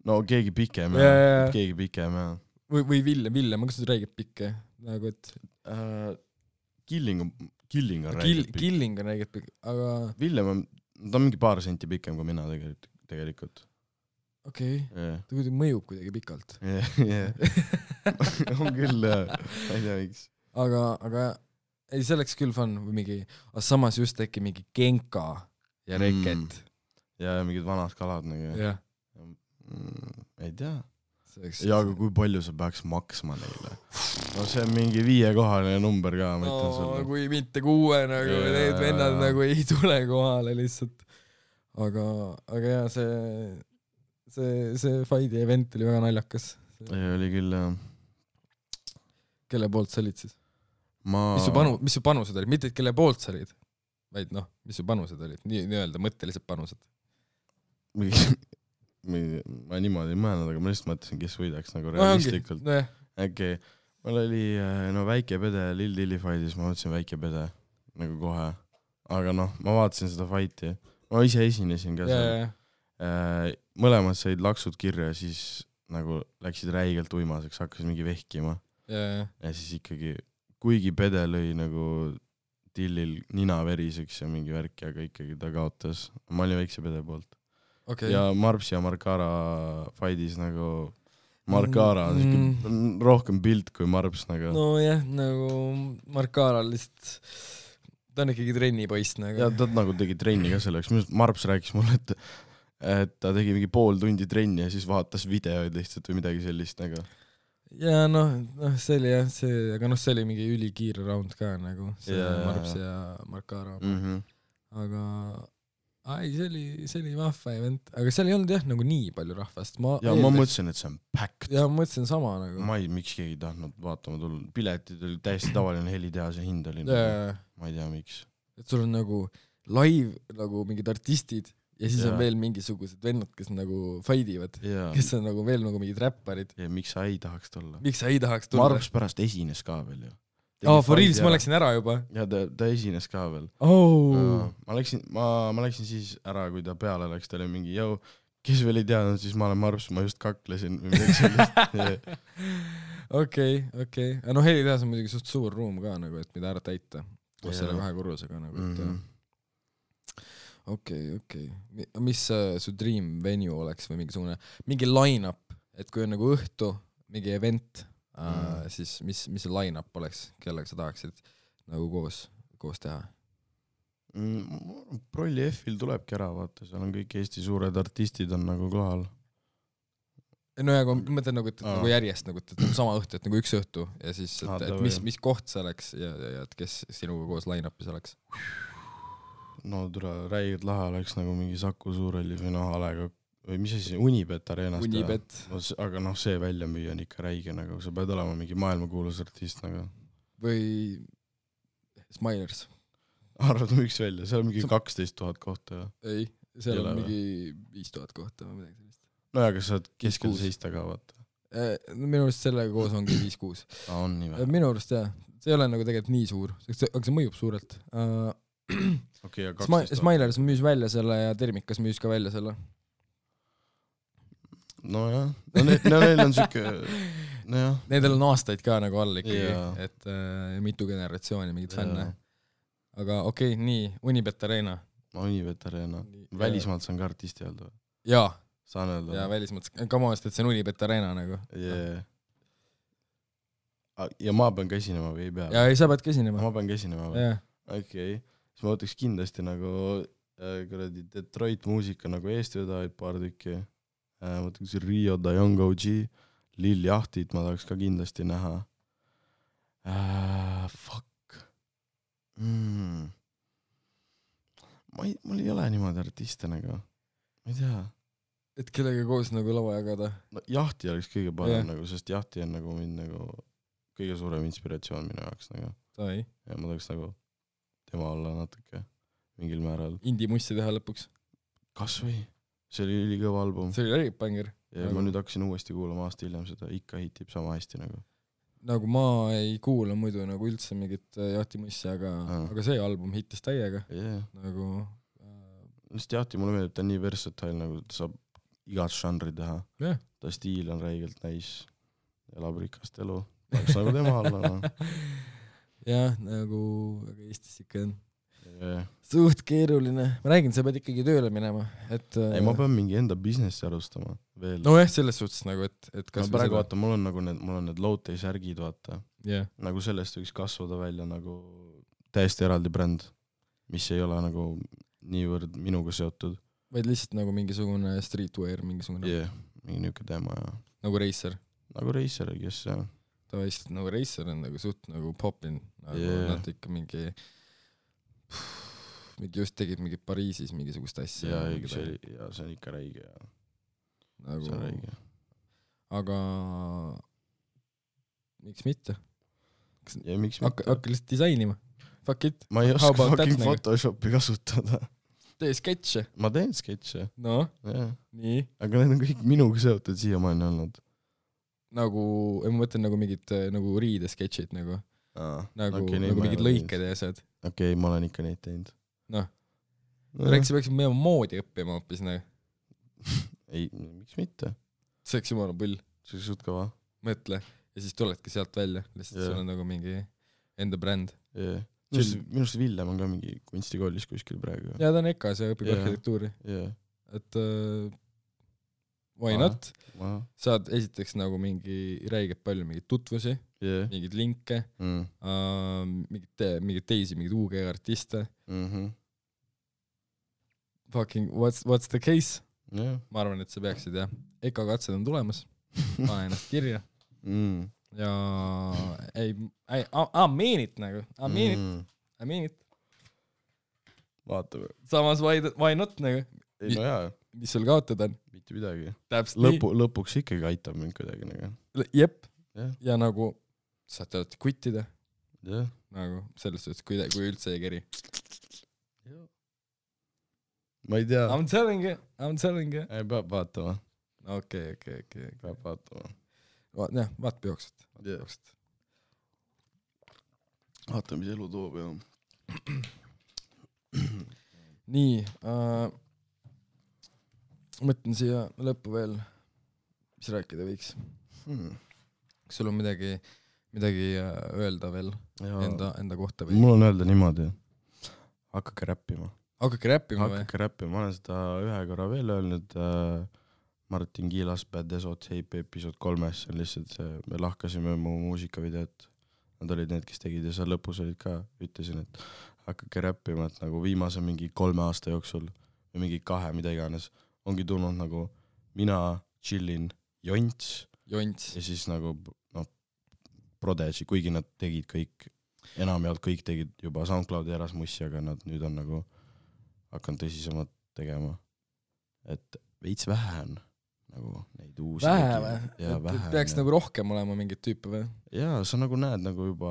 [SPEAKER 1] no keegi pikem
[SPEAKER 2] ja, ja, ja.
[SPEAKER 1] keegi pikem ja
[SPEAKER 2] või, või Villem, Villem, kas sa räägid pikke nagu et
[SPEAKER 1] uh, Killing on Killing on
[SPEAKER 2] Kill,
[SPEAKER 1] räägid
[SPEAKER 2] Killing on räägid pikk aga
[SPEAKER 1] Villem on ta on mingi paar senti pikem kui mina tegelikult tegelikult
[SPEAKER 2] okei okay.
[SPEAKER 1] yeah.
[SPEAKER 2] ta kuidagi mõjub kuidagi pikalt
[SPEAKER 1] yeah, yeah. on küll jah ma ei tea miks
[SPEAKER 2] aga aga ei see oleks küll fun või mingi aga samas just äkki mingi Genka ja Reket
[SPEAKER 1] mm. ja mingid vanad kalad nagu
[SPEAKER 2] jah
[SPEAKER 1] mm, ei tea
[SPEAKER 2] Oleks...
[SPEAKER 1] ja aga kui palju sa peaks maksma neile no see on mingi viiekohaline number ka ma ütlen
[SPEAKER 2] no,
[SPEAKER 1] sulle
[SPEAKER 2] kui mitte kuue nagu ja, need vennad ja. Nagu ei tule kohale lihtsalt aga aga jaa see see see fighti event oli väga naljakas see...
[SPEAKER 1] ei oli küll jah
[SPEAKER 2] kelle poolt sa olid siis
[SPEAKER 1] ma
[SPEAKER 2] mis su panu mis su panused olid mitte et kelle poolt sa olid vaid noh mis su panused olid nii nii-öelda mõttelised panused
[SPEAKER 1] ma niimoodi ei mõelnud, aga ma lihtsalt mõtlesin, kes võidaks nagu realistlikult
[SPEAKER 2] no,.
[SPEAKER 1] okei, mul oli no väike pede Lil Dilli fightis, ma mõtlesin väike pede nagu kohe, aga noh, ma vaatasin seda fighti, ma ise esinesin ka seal, mõlemad said laksud kirja ja siis nagu läksid räigelt uimaseks, hakkasid mingi vehkima
[SPEAKER 2] ja,
[SPEAKER 1] ja siis ikkagi, kuigi pede lõi nagu Dillil nina veriseks ja mingi värki, aga ikkagi ta kaotas, ma olin väikse pede poolt. Okay. Ja Marps ja Markara fightis nagu Markara on mm. rohkem pilt kui Marps nagu.
[SPEAKER 2] No jah, nagu Markara lihtsalt ta on ikkagi trennipoist nagu.
[SPEAKER 1] Ja ta nagu tegi trenni ka selleks. Marps rääkis mulle, et, et ta tegi mingi pool tundi trenni ja siis vaatas videoid lihtsalt või midagi sellist nagu.
[SPEAKER 2] Ja noh, noh see oli jah, see, aga noh see oli mingi ülikiire round ka nagu, see yeah. Marps ja Markara.
[SPEAKER 1] Mm-hmm.
[SPEAKER 2] Aga ai, see oli, see oli vahva event, aga seal ei olnud jah nagu nii palju rahvast. Ma
[SPEAKER 1] ja eeldaks... ma mõtlesin, et see on packed.
[SPEAKER 2] Ja ma mõtlesin sama nagu.
[SPEAKER 1] Ma ei, miks keegi tahtnud vaatama tulla. Piletid oli täiesti tavaline helitehase hind oli.
[SPEAKER 2] Yeah.
[SPEAKER 1] Ma ei tea, miks.
[SPEAKER 2] Et sul on nagu live nagu mingid artistid ja siis yeah. on veel mingisugused vennad, kes nagu fightivad, yeah. kes on nagu veel nagu mingid räpparid.
[SPEAKER 1] Ja miks sa ei tahaks tulla?
[SPEAKER 2] Miks sa ei tahaks tulla?
[SPEAKER 1] Marps pärast esines ka veel ju.
[SPEAKER 2] Aa, oh, for reals, ma läksin ära juba.
[SPEAKER 1] Ja ta, ta esines ka veel.
[SPEAKER 2] Oh.
[SPEAKER 1] Ja, ma, läksin, ma, ma läksin siis ära, kui ta peale läks, ta oli mingi, jau, kes veel ei teadnud, siis ma olen Marps, ma just kaklesin.
[SPEAKER 2] Okei, okei. No helitehas on muidugi suht suur ruum ka, nagu, et mida ära täita. Koos selle kahe korrusega. Nagu, et... mm-hmm. Okei, okei. Mis uh, su dream venue oleks või mingisugune, mingi line-up, et kui on nagu õhtu, mingi event, uh, mm. siis mis, mis see line-up oleks, kellega sa tahaksid nagu koos, koos teha?
[SPEAKER 1] Mm, Prolli F-il tulebki ära, vaata, seal on kõik Eesti suured artistid on nagu kohal.
[SPEAKER 2] No ja kui mõtlen nagu, et nagu järjest, nagu, et on sama õhtu, et nagu üks õhtu ja siis, et, et mis, mis koht see oleks ja, ja, ja et kes sinuga koos line-upis oleks?
[SPEAKER 1] No tule räigelt lahe oleks nagu mingi Saku Suurelli või noh Alega või mis asi, Unibet areenast.
[SPEAKER 2] Unibet.
[SPEAKER 1] No, aga noh, see välja müüa on ikka räige nagu, sa pead olema mingi maailmakuulus artist nagu.
[SPEAKER 2] Või Smilers.
[SPEAKER 1] Arvad miks välja, seal on mingi kaksteist tuhat kohta.
[SPEAKER 2] Ei, seal on mingi viis tuhat kohta või midagi sellist.
[SPEAKER 1] No ja kas sa oled keskel seista ka vaata?
[SPEAKER 2] Minu arust sellega koos ongi viis kuus.
[SPEAKER 1] Ah, on nii või?
[SPEAKER 2] Minu arust jah, see ei ole nagu tegelikult nii suur, aga see mõjub suurelt.
[SPEAKER 1] Okay,
[SPEAKER 2] Smi- Smilers müüs välja selle ja Termikas müüs ka välja selle.
[SPEAKER 1] No jah, no, ne- no neil on siuke no jah.
[SPEAKER 2] Nendel on aastaid ka nagu all ikkagi, yeah. et äh, mitu generatsiooni mingid yeah. fänne. Aga okei, okay, nii, Unibet Arena.
[SPEAKER 1] Unibet Arena. Välismaalt saan ka artisti öelda.
[SPEAKER 2] Jaa.
[SPEAKER 1] Saan öelda.
[SPEAKER 2] Jaa, välismaalt. Kamast, et see on Unibet Arena nagu.
[SPEAKER 1] Yeah. Ja ma pean ka esinema või ei pea?
[SPEAKER 2] Jaa, ei, sa pead ka esinema.
[SPEAKER 1] Ma pean ka esinema või?
[SPEAKER 2] Yeah.
[SPEAKER 1] Okei. Okay. Siis ma võtaks kindlasti nagu äh, kuradi Detroit muusika nagu eestvedajaid paar tükki. Äh, ma võtaks Rio da Young O G, Lil Jahtit ma tahaks ka kindlasti näha. Äh, fuck. Mm. Ma ei, mul ei ole niimoodi artiste nagu. Ma ei tea.
[SPEAKER 2] Et kellega koos nagu lava jagada?
[SPEAKER 1] No, Jahti oleks kõige parem yeah. nagu, sest Jahti on nagu mind nagu kõige suurem inspiratsioon minu jaoks nagu.
[SPEAKER 2] Sai.
[SPEAKER 1] Ja ma tahaks nagu tema olla natuke mingil määral.
[SPEAKER 2] Indie-mussi teha lõpuks.
[SPEAKER 1] Kas või? See oli ülikõva album.
[SPEAKER 2] See oli räipanger.
[SPEAKER 1] Ja nagu... ma nüüd hakkasin uuesti kuulama aasta hiljem seda, ikka hitib sama hästi nagu.
[SPEAKER 2] Nagu ma ei kuula muidu nagu üldse mingit Jahti-mussi, aga, aga see album hittis täiega.
[SPEAKER 1] Yeah.
[SPEAKER 2] Nagu...
[SPEAKER 1] Äh... Just Jahti mulle meeldib, ta on nii versatile, nagu ta saab igat žanri teha
[SPEAKER 2] yeah.
[SPEAKER 1] ta stiil on räigelt nice elab rikast elu tahaks nagu tema alla no.
[SPEAKER 2] jah nagu aga Eestis ikka on
[SPEAKER 1] yeah.
[SPEAKER 2] suht keeruline ma räägin sa pead ikkagi tööle minema et
[SPEAKER 1] ei ma pean mingi enda businessi alustama veel
[SPEAKER 2] no jah selles suhtes nagu et et
[SPEAKER 1] kas no, praegu vaata mul on nagu need mul on need low-tay särgid vaata
[SPEAKER 2] yeah.
[SPEAKER 1] nagu sellest võiks kasvada välja nagu täiesti eraldi bränd mis ei ole nagu niivõrd minuga seotud
[SPEAKER 2] vaid lihtsalt nagu mingisugune streetwear mingisugune
[SPEAKER 1] yeah, mingi niuke teema ja
[SPEAKER 2] nagu Racer
[SPEAKER 1] nagu Racer kes jah
[SPEAKER 2] ta lihtsalt nagu Racer on nagu suht nagu popin nagu yeah. nad ikka mingi mingi just tegid mingi Pariisis mingisugust asja
[SPEAKER 1] ja, see, oli, ja see on ikka räige ja
[SPEAKER 2] nagu
[SPEAKER 1] see on räige
[SPEAKER 2] aga miks mitte
[SPEAKER 1] ja miks mitte
[SPEAKER 2] hakka, hakka lihtsalt disainima fuck it
[SPEAKER 1] ma ei oska fucking Photoshopi kasutada
[SPEAKER 2] tee sketše
[SPEAKER 1] ma teen sketše
[SPEAKER 2] no
[SPEAKER 1] yeah.
[SPEAKER 2] nii
[SPEAKER 1] aga need on kõik minuga seotud siiamaani olnud
[SPEAKER 2] nagu ma mõtlen nagu mingid nagu riidesketšid nagu
[SPEAKER 1] Aa,
[SPEAKER 2] nagu,
[SPEAKER 1] okay,
[SPEAKER 2] nagu mingid lõiked ja asjad
[SPEAKER 1] okei okay, ma olen ikka neid teinud
[SPEAKER 2] noh no. rääkis peaks minema moodi õppima hoopis nagu
[SPEAKER 1] ei miks mitte
[SPEAKER 2] see oleks jumala pull
[SPEAKER 1] see oleks suht kõva
[SPEAKER 2] mõtle ja siis tuledki sealt välja lihtsalt yeah. sul on nagu mingi enda bränd
[SPEAKER 1] yeah. minu arust Villem on ka mingi kunstikoolis kuskil praegu
[SPEAKER 2] ja ta on EKAs ja õpib yeah. arhitektuuri
[SPEAKER 1] yeah.
[SPEAKER 2] et uh, why
[SPEAKER 1] Aha.
[SPEAKER 2] not
[SPEAKER 1] Aha.
[SPEAKER 2] saad esiteks nagu mingi räigelt palju mingeid tutvusi
[SPEAKER 1] yeah.
[SPEAKER 2] mingeid linke
[SPEAKER 1] mm.
[SPEAKER 2] uh, mingid, te, mingid teisi mingid U G artiste
[SPEAKER 1] mm-hmm.
[SPEAKER 2] fucking what's, what's the case
[SPEAKER 1] yeah.
[SPEAKER 2] ma arvan et sa peaksid jah EKA katsed on tulemas pane ennast kirja
[SPEAKER 1] mm.
[SPEAKER 2] ja ei, ei I mean it nagu I mean
[SPEAKER 1] mm.
[SPEAKER 2] it I mean it
[SPEAKER 1] vaatame
[SPEAKER 2] samas why, why not nagu
[SPEAKER 1] ei no jaa
[SPEAKER 2] mis sul kaotada on
[SPEAKER 1] mitte midagi
[SPEAKER 2] täpselt
[SPEAKER 1] lõpu, lõpuks ikkagi aitab mind kuidagi nagu
[SPEAKER 2] jep
[SPEAKER 1] yeah.
[SPEAKER 2] ja nagu saate alati kuttida
[SPEAKER 1] yeah.
[SPEAKER 2] nagu selles suhtes kui, kui üldse ei keri
[SPEAKER 1] yeah. ma ei tea
[SPEAKER 2] I'm telling you I'm telling you
[SPEAKER 1] ei peab vaatama
[SPEAKER 2] okei okei okei
[SPEAKER 1] peab vaatama
[SPEAKER 2] Va, jah vaat jooksed
[SPEAKER 1] yeah. vaata mis elu toob ja
[SPEAKER 2] nii uh, mõtlen siia lõppu veel mis rääkida võiks
[SPEAKER 1] hmm.
[SPEAKER 2] kas sul on midagi midagi öelda veel
[SPEAKER 1] ja.
[SPEAKER 2] enda, enda kohta või?
[SPEAKER 1] mul on öelda niimoodi hakake räppima
[SPEAKER 2] hakake räppima või?
[SPEAKER 1] hakake räppima, ma olen seda ühe korra veel öelnud äh, Martin Kiilas Bad Esot Heipi episood kolmes, see on lihtsalt see, me lahkasime mu muusikavideot, nad olid need, kes tegid ja seal lõpus olid ka, ütlesin, et hakake räppima, et nagu viimase mingi kolme aasta jooksul või mingi kahe, mida iganes, ongi tulnud nagu mina chillin Jonts,
[SPEAKER 2] Jonts.
[SPEAKER 1] ja siis nagu noh, Prodigy, kuigi nad tegid kõik, enamjaolt kõik tegid juba SoundCloudi Erasmussi, aga nad nüüd on nagu hakanud tõsisemalt tegema, et veits vähe on nagu neid uusi
[SPEAKER 2] vähe või?
[SPEAKER 1] Et
[SPEAKER 2] peaks ja. Nagu rohkem olema mingit tüüpi või?
[SPEAKER 1] Jaa, sa nagu näed nagu juba,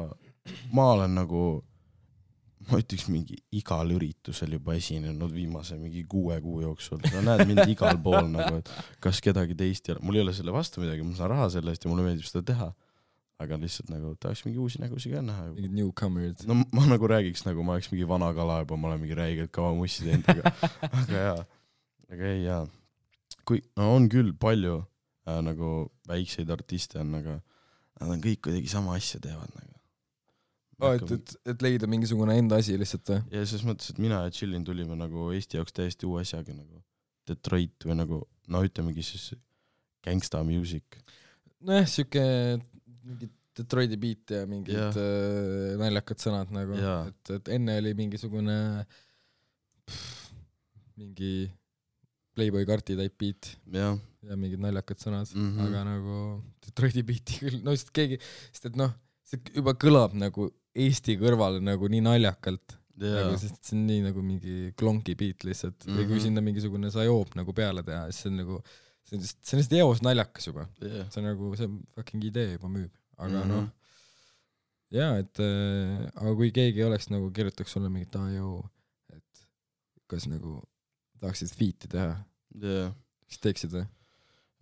[SPEAKER 1] ma olen nagu, ma ütleks mingi igal üritusel juba esinenud viimase mingi kuue kuu jooksul, sa näed mind igal pool nagu, et kas kedagi teist ei ole, mul ei ole selle vastu midagi, ma saan raha selle eest ja mulle meeldib seda teha, aga lihtsalt nagu tahaks mingi uusi nägusi ka näha.
[SPEAKER 2] Mingid newcomers.
[SPEAKER 1] No ma nagu räägiks nagu ma oleks mingi vana kala juba, ma olen mingi räigelt kaua mussi teinud, aga, aga jaa, aga ei jaa. Kui, no on küll palju äh, nagu väikseid artiste on, aga nad on kõik kuidagi sama asja teevad nagu.
[SPEAKER 2] Oh, et, et, et leida mingisugune enda asi lihtsalt või?
[SPEAKER 1] Ja selles mõttes, et mina ja Chillin tulime nagu Eesti jaoks täiesti uue asjaga nagu Detroit või nagu, no ütlemegi siis gangsta music.
[SPEAKER 2] Nojah, siuke mingid Detroiti beat ja mingid ja. Äh, naljakad sõnad nagu, et, et enne oli mingisugune pff, mingi Playboy karti type beat
[SPEAKER 1] ja,
[SPEAKER 2] ja mingid naljakad sõnad,
[SPEAKER 1] mm-hmm.
[SPEAKER 2] aga nagu Detroiti beati küll, no sest keegi, sest et noh, see juba kõlab nagu Eesti kõrval nagu nii naljakalt,
[SPEAKER 1] yeah.
[SPEAKER 2] nagu, sest see on nii nagu mingi klonki beat lihtsalt, mm-hmm. või kui sinna mingisugune sajoob nagu peale teha, siis see on nagu, see on lihtsalt, see on lihtsalt eos naljakas juba,
[SPEAKER 1] yeah.
[SPEAKER 2] see on nagu, see fucking idee juba müüb, aga mm-hmm. noh, jaa, et äh, aga kui keegi oleks nagu, kirjutaks sulle mingit A E O, et kas nagu tahaksid feat'i teha,
[SPEAKER 1] yeah.
[SPEAKER 2] siis teeksid või?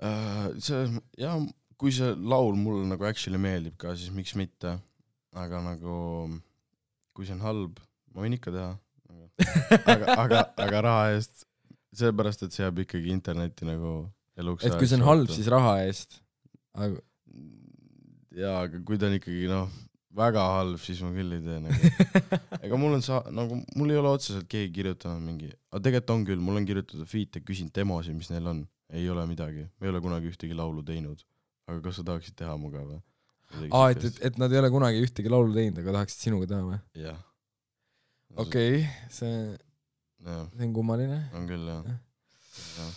[SPEAKER 1] Uh, see, jah, kui see laul mulle nagu actually meeldib ka, siis miks mitte, aga nagu kui see on halb, ma võin ikka teha, aga, aga, aga raha eest, sellepärast, et see jääb ikkagi interneti nagu eluks
[SPEAKER 2] et kui see on halb, siis raha eest. Aga...
[SPEAKER 1] jaa, aga kui ta on ikkagi noh, väga halb, siis ma küll ei tee nagu. Ega mul on sa-, nagu mul ei ole otseselt keegi kirjutanud mingi, aga tegelikult on küll, mul on kirjutatud feat'e, küsin demosi, mis neil on. Ei ole midagi, me ei ole kunagi ühtegi laulu teinud. Aga kas sa tahaksid teha muga või?
[SPEAKER 2] Aa, et, et, et nad ei ole kunagi ühtegi laulu teinud, aga tahaksid sinuga teha või?
[SPEAKER 1] jah.
[SPEAKER 2] Okei, okay, see, see on kummaline.
[SPEAKER 1] On küll, jah. Ja.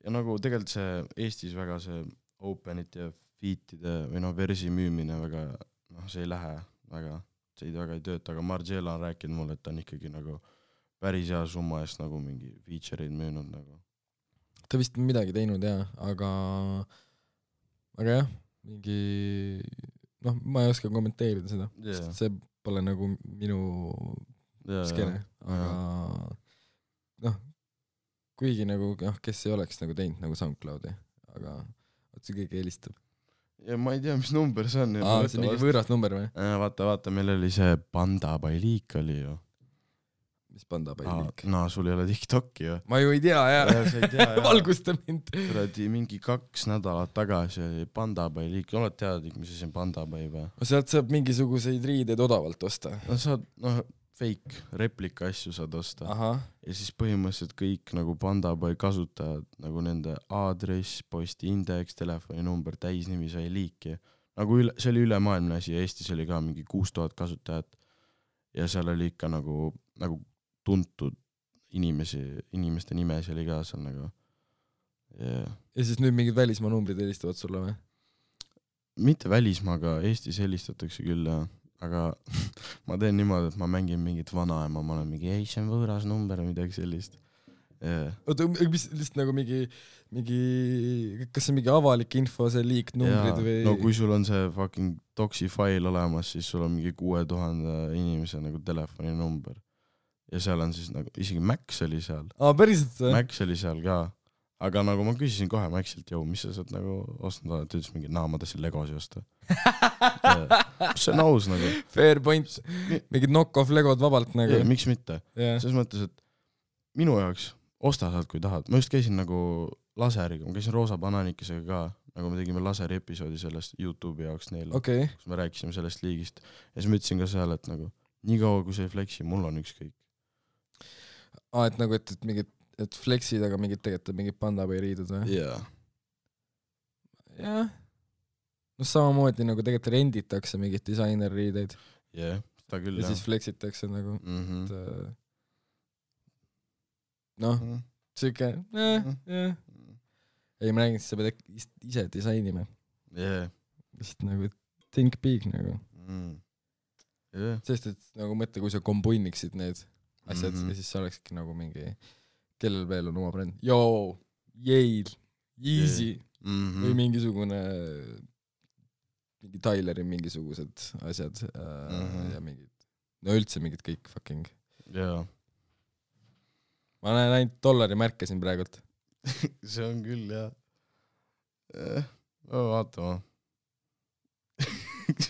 [SPEAKER 1] ja nagu tegelikult see Eestis väga see openit ja feat'ide või noh, versi müümine väga, noh, see ei lähe väga, see ei väga ei tööta, aga Margiela on rääkinud mulle, et ta on ikkagi nagu päris hea summa eest nagu mingi feature'id müünud nagu.
[SPEAKER 2] Ta vist midagi teinud, jah, aga aga jah, mingi noh, ma ei oska kommenteerida seda, yeah. Sest see pole nagu minu yeah, skene, aga yeah. noh, kuigi nagu, noh, kes ei oleks nagu teinud nagu SoundCloudi, aga oot see keegi helistab.
[SPEAKER 1] Ja ma ei tea, mis number see on.
[SPEAKER 2] Aa, see on mingi võõras number või?
[SPEAKER 1] Vaata, vaata, meil oli see Panda by Leak oli ju.
[SPEAKER 2] Mis Panda by Leak?
[SPEAKER 1] No, sul ei ole TikTok'i ju.
[SPEAKER 2] Ma ju ei tea, jah.
[SPEAKER 1] Ja, sa ei tea, jah.
[SPEAKER 2] Valgusta mind.
[SPEAKER 1] Kuradi mingi kaks nädalat tagasi oli Panda by Leak. Oled teadik, mis see on Panda by või?
[SPEAKER 2] Sealt saab mingisuguseid riideid odavalt osta.
[SPEAKER 1] No saad, noh, fake, replika asju saad osta.
[SPEAKER 2] Aha.
[SPEAKER 1] Ja siis põhimõtteliselt kõik nagu Panda by kasutajad, nagu nende aadress, posti indeks, telefoninumber, täisnimi sai liiki. Nagu üle, see oli ülemaailmne asi ja Eestis oli ka mingi kuus tuhat kasutajat. Ja seal oli ikka nagu, nagu tuntud inimesi, inimeste nimes oli ka seal nagu. Yeah.
[SPEAKER 2] Ja siis nüüd mingid välismaa numbrid helistavad sulle või?
[SPEAKER 1] Mitte välismaa, aga Eestis helistatakse küll, ja. Aga ma teen niimoodi, et ma mängin mingit vanaema, ma olen mingi, ei, see on võõras number või midagi sellist. Yeah.
[SPEAKER 2] Oota, mis lihtsalt nagu mingi, mingi, kas see mingi avalik info, see liik numbrid
[SPEAKER 1] ja,
[SPEAKER 2] või?
[SPEAKER 1] No kui sul on see fucking doksi fail olemas, siis sul on mingi kuue tuhande inimese nagu telefoninumber. Ja seal on siis nagu, isegi Max oli seal.
[SPEAKER 2] Aa, päriselt see?
[SPEAKER 1] Max oli seal ka. Aga nagu ma küsisin kohe Maxilt, jõu, mis sa saad nagu ostnud oled, ta ütles mingi, naa, ma tahtsin Legosi osta. See on aus nagu.
[SPEAKER 2] Fair point. Mingid knock-off Legod vabalt nagu.
[SPEAKER 1] Ja, miks mitte? Yeah. Selles mõttes, et minu jaoks osta saad, kui tahad. Ma just käisin nagu laseriga, ma käisin Roosa Bananikesega ka, nagu me tegime laseri episoodi sellest YouTube'i jaoks neile,
[SPEAKER 2] okay.
[SPEAKER 1] Kus me rääkisime sellest liigist. Ja siis ma ütlesin ka seal, et nagu, nii kaua kui see ei flexi, mul on ükskõik.
[SPEAKER 2] Aa, et nagu, et, et mingid et flexid, aga mingid tegelikult mingid Panda või riidud või?
[SPEAKER 1] Jaa.
[SPEAKER 2] Jah. No samamoodi nagu tegelikult renditakse mingid disainerriideid.
[SPEAKER 1] Jah, yeah, ta küll,
[SPEAKER 2] ja
[SPEAKER 1] jah.
[SPEAKER 2] Siis flexitakse nagu.
[SPEAKER 1] Mm-hmm.
[SPEAKER 2] Et, noh, mm-hmm. Siuke, eh, jah. Ei, ma räägin, et sa pead ise disainima.
[SPEAKER 1] Jah.
[SPEAKER 2] Vist nagu think big nagu.
[SPEAKER 1] Mm. Yeah.
[SPEAKER 2] Sest, et nagu mõtle, kui sa kombuiniksid need asjad mm-hmm. ja siis sa olekski nagu mingi kellel veel on oma bränd. Yo, Yale, Easy mm-hmm. või mingisugune mingi Tyleri mingisugused asjad mm-hmm. ja mingid, no üldse mingid kõik fucking.
[SPEAKER 1] Jaa.
[SPEAKER 2] Ma näen ainult dollari märke siin praegult.
[SPEAKER 1] See on küll, jah. Eh, vaatama.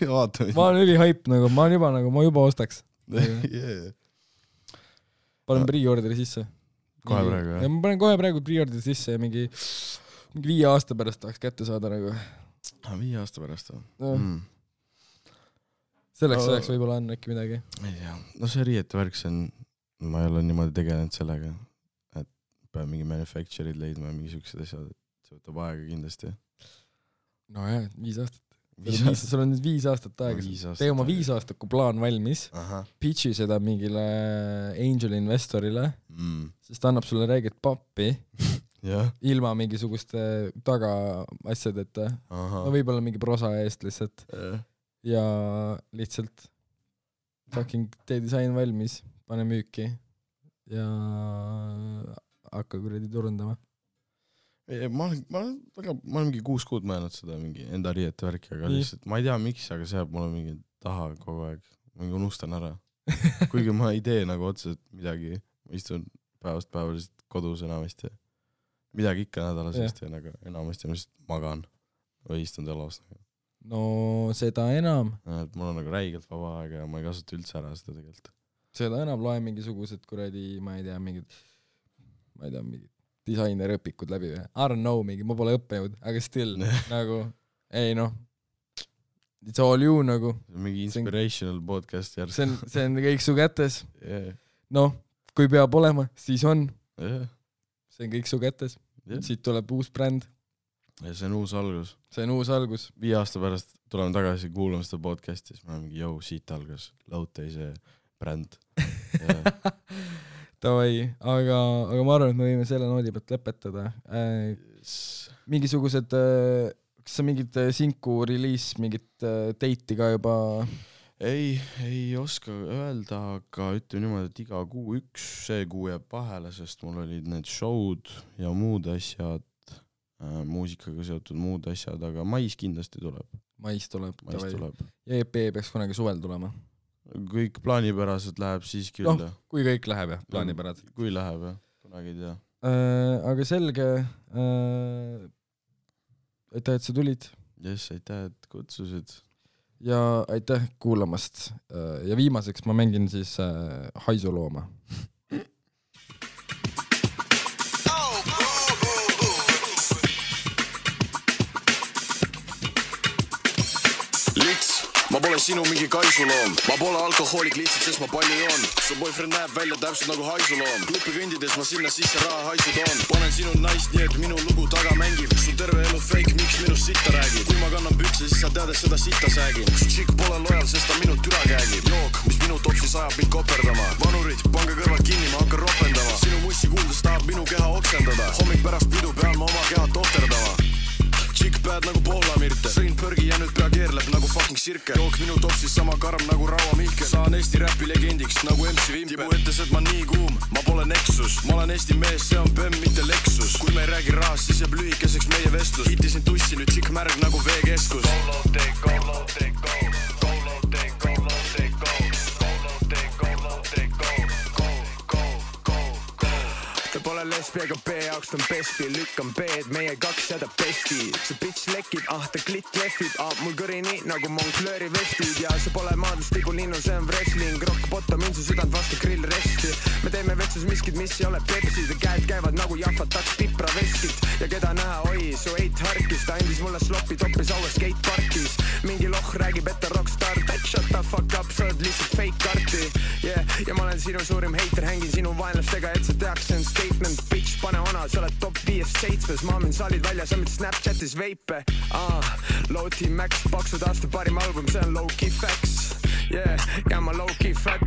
[SPEAKER 1] vaatama.
[SPEAKER 2] Ma olen üli hype nagu, ma olen juba nagu, ma juba ostaks.
[SPEAKER 1] Yeah.
[SPEAKER 2] Panen pre-orderi sisse.
[SPEAKER 1] Kohe praegu, jah?
[SPEAKER 2] Ja ma panen kohe praegu pre-orderi sisse ja mingi, mingi viie aasta pärast tahaks kätte saada nagu.
[SPEAKER 1] Ah, viie aasta pärast või?
[SPEAKER 2] No. Mm. Selleks ajaks no, võib-olla on äkki midagi.
[SPEAKER 1] Ei tea. No see riiete värk, see on, ma ei ole niimoodi tegelenud sellega, et peab mingi manufacture'id leidma ja mingi siuksed asjad, et see võtab aega kindlasti.
[SPEAKER 2] No jah, viis aastat. Viis, sul on nüüd viis aastat aega, tee oma viis aastaku plaan valmis, Aha. Pitchi seda mingile angel investorile, mm. sest ta annab sulle räägid pappi
[SPEAKER 1] yeah.
[SPEAKER 2] ilma mingisuguste taga asjadeta, no võib-olla mingi prosa eest lihtsalt
[SPEAKER 1] yeah.
[SPEAKER 2] ja lihtsalt fucking tee disain valmis, pane müüki ja hakka kuradi turundama.
[SPEAKER 1] Ma olen, ma olen, väga, ma olen mingi kuus kuud mõelnud seda mingi enda riiete värki, aga lihtsalt, ma ei tea miks, aga see jääb mulle mingi taha kogu aeg, mingi unustan ära. Kuigi ma ei tee nagu otseselt midagi, ma istun päevast päevaliselt kodus enamasti. Midagi ikka nädalasest ja nagu enamasti ma lihtsalt magan või istun telos.
[SPEAKER 2] No seda enam.
[SPEAKER 1] Et mul on nagu räigelt vaba aega ja ma ei kasuta üldse ära seda tegelikult.
[SPEAKER 2] Seda enam loe mingisugused kuradi, ma ei tea, mingid, ma ei tea, mingid disainer õpikud läbi või? I don't know, mingi, ma pole õppejõud, aga still, nagu, ei noh, it's all you nagu.
[SPEAKER 1] Mingi inspirational see, podcast järg.
[SPEAKER 2] See on, see on kõik su kätes.
[SPEAKER 1] Yeah.
[SPEAKER 2] Noh, kui peab olema, siis on.
[SPEAKER 1] Yeah.
[SPEAKER 2] See on kõik su kätes. Yeah. Siit tuleb uus bränd.
[SPEAKER 1] Ja see on uus algus.
[SPEAKER 2] See on uus algus.
[SPEAKER 1] Viie aasta pärast tuleme tagasi kuulama seda podcasti, siis me oleme mingi, jõu, siit algas Loudtay see bränd.
[SPEAKER 2] Tavai, aga, aga ma arvan, et me võime selle noodi pealt lõpetada. Äh, mingisugused, äh, kas sa mingid sinku release, mingit äh, teiti ka juba?
[SPEAKER 1] Ei, ei oska öelda, aga ütleme niimoodi, et iga kuu üks, see kuu jääb vahele, sest mul olid need showd ja muud asjad, äh, muusikaga seotud muud asjad, aga mais kindlasti tuleb.
[SPEAKER 2] Mais tuleb.
[SPEAKER 1] Mais tuleb.
[SPEAKER 2] Ja E P peaks kunagi suvel tulema.
[SPEAKER 1] Kõik plaanipäraselt läheb siis küll.
[SPEAKER 2] No, kui kõik läheb jah, plaanipäraselt.
[SPEAKER 1] Kui läheb jah, kunagi ei tea.
[SPEAKER 2] Äh, aga selge, äh, aitäh, et sa tulid.
[SPEAKER 1] Yes, aitäh, et kutsusid.
[SPEAKER 2] Ja aitäh kuulamast. Äh, ja viimaseks ma mängin siis äh, Haisulooma.
[SPEAKER 3] Ma pole sinu mingi kaisuloom, ma pole alkohoolik lihtsalt, sest ma palju joon. Su boyfriend näeb välja täpselt nagu haisuloom. Klupi kõndides ma sinna sisse raha haisu toon. Panen sinu naist nii, et minu lugu taga mängib. Su terve elu fake, miks minust sitta räägib. Kui ma kannan pükse, siis sa tead, et seda sitta säägin. Su tšik pole lojal, sest ta minu türa käegib. Jook, mis minu topsis ajab mind koperdama. Vanurid, pange kõrvad kinni, ma hakkan ropendama. Sinu mussi kuuldes tahab minu keha oksendada. Hommik pärast pidu pean ma oma keha tohterdama. Tšik päed nagu Pohlamirte. Sõin põrgi ja nüüd pea keerleb nagu fucking sirke. Jook minu topsis sama karm nagu Raua Mihkel. Saan Eesti räpi legendiks nagu M C Vimpe. Tibu ütles, et ma nii kuum, ma pole Nexus. Ma olen Eesti mees, see on Bem, mitte Lexus. Kui me ei räägi rahast, siis jääb lühikeseks meie vestlus. Hitisin tussi, nüüd tšik märg nagu V-keskus. Go low, take, go low, take, go. Go low, take, go low, take, go. Go low, take, go low, take, go. Go, go, go, go. Ta pole lesbiaga B jaoks, ta on besti. Lükkan B-d, meie kaks jääda besti. See bitch lekib, ah ta klit lehvib. Ah mul kõri nii nagu Moncleuri vestid. Ja see pole maadlus tibulinnu, see on wrestling. Rock bottom in su südant vastu grill resti. Me teeme vetsus miskid, mis ei ole Pepsi. Ta käed käivad nagu jahvataks pipra veskit. Ja keda näha, oi, su eit harkis. Ta andis mulle slopi toppis aues skateparkis. Mingi loh räägib, et ta rockstar. Shut the fuck up, sa oled lihtsalt fake karti. Yeah, ja ma olen sinu suurim hater. Hängin sinu vaenlastega, et sa teaks, see on statement. Bitch, pane ona, sa oled top viiest seitsmes. Ma amin salid välja, sa mind Snapchatis veipe. Ah, Low Team Max, paksud aasta parim album, see on low-key facts. Yeah, ja ma low-key fat.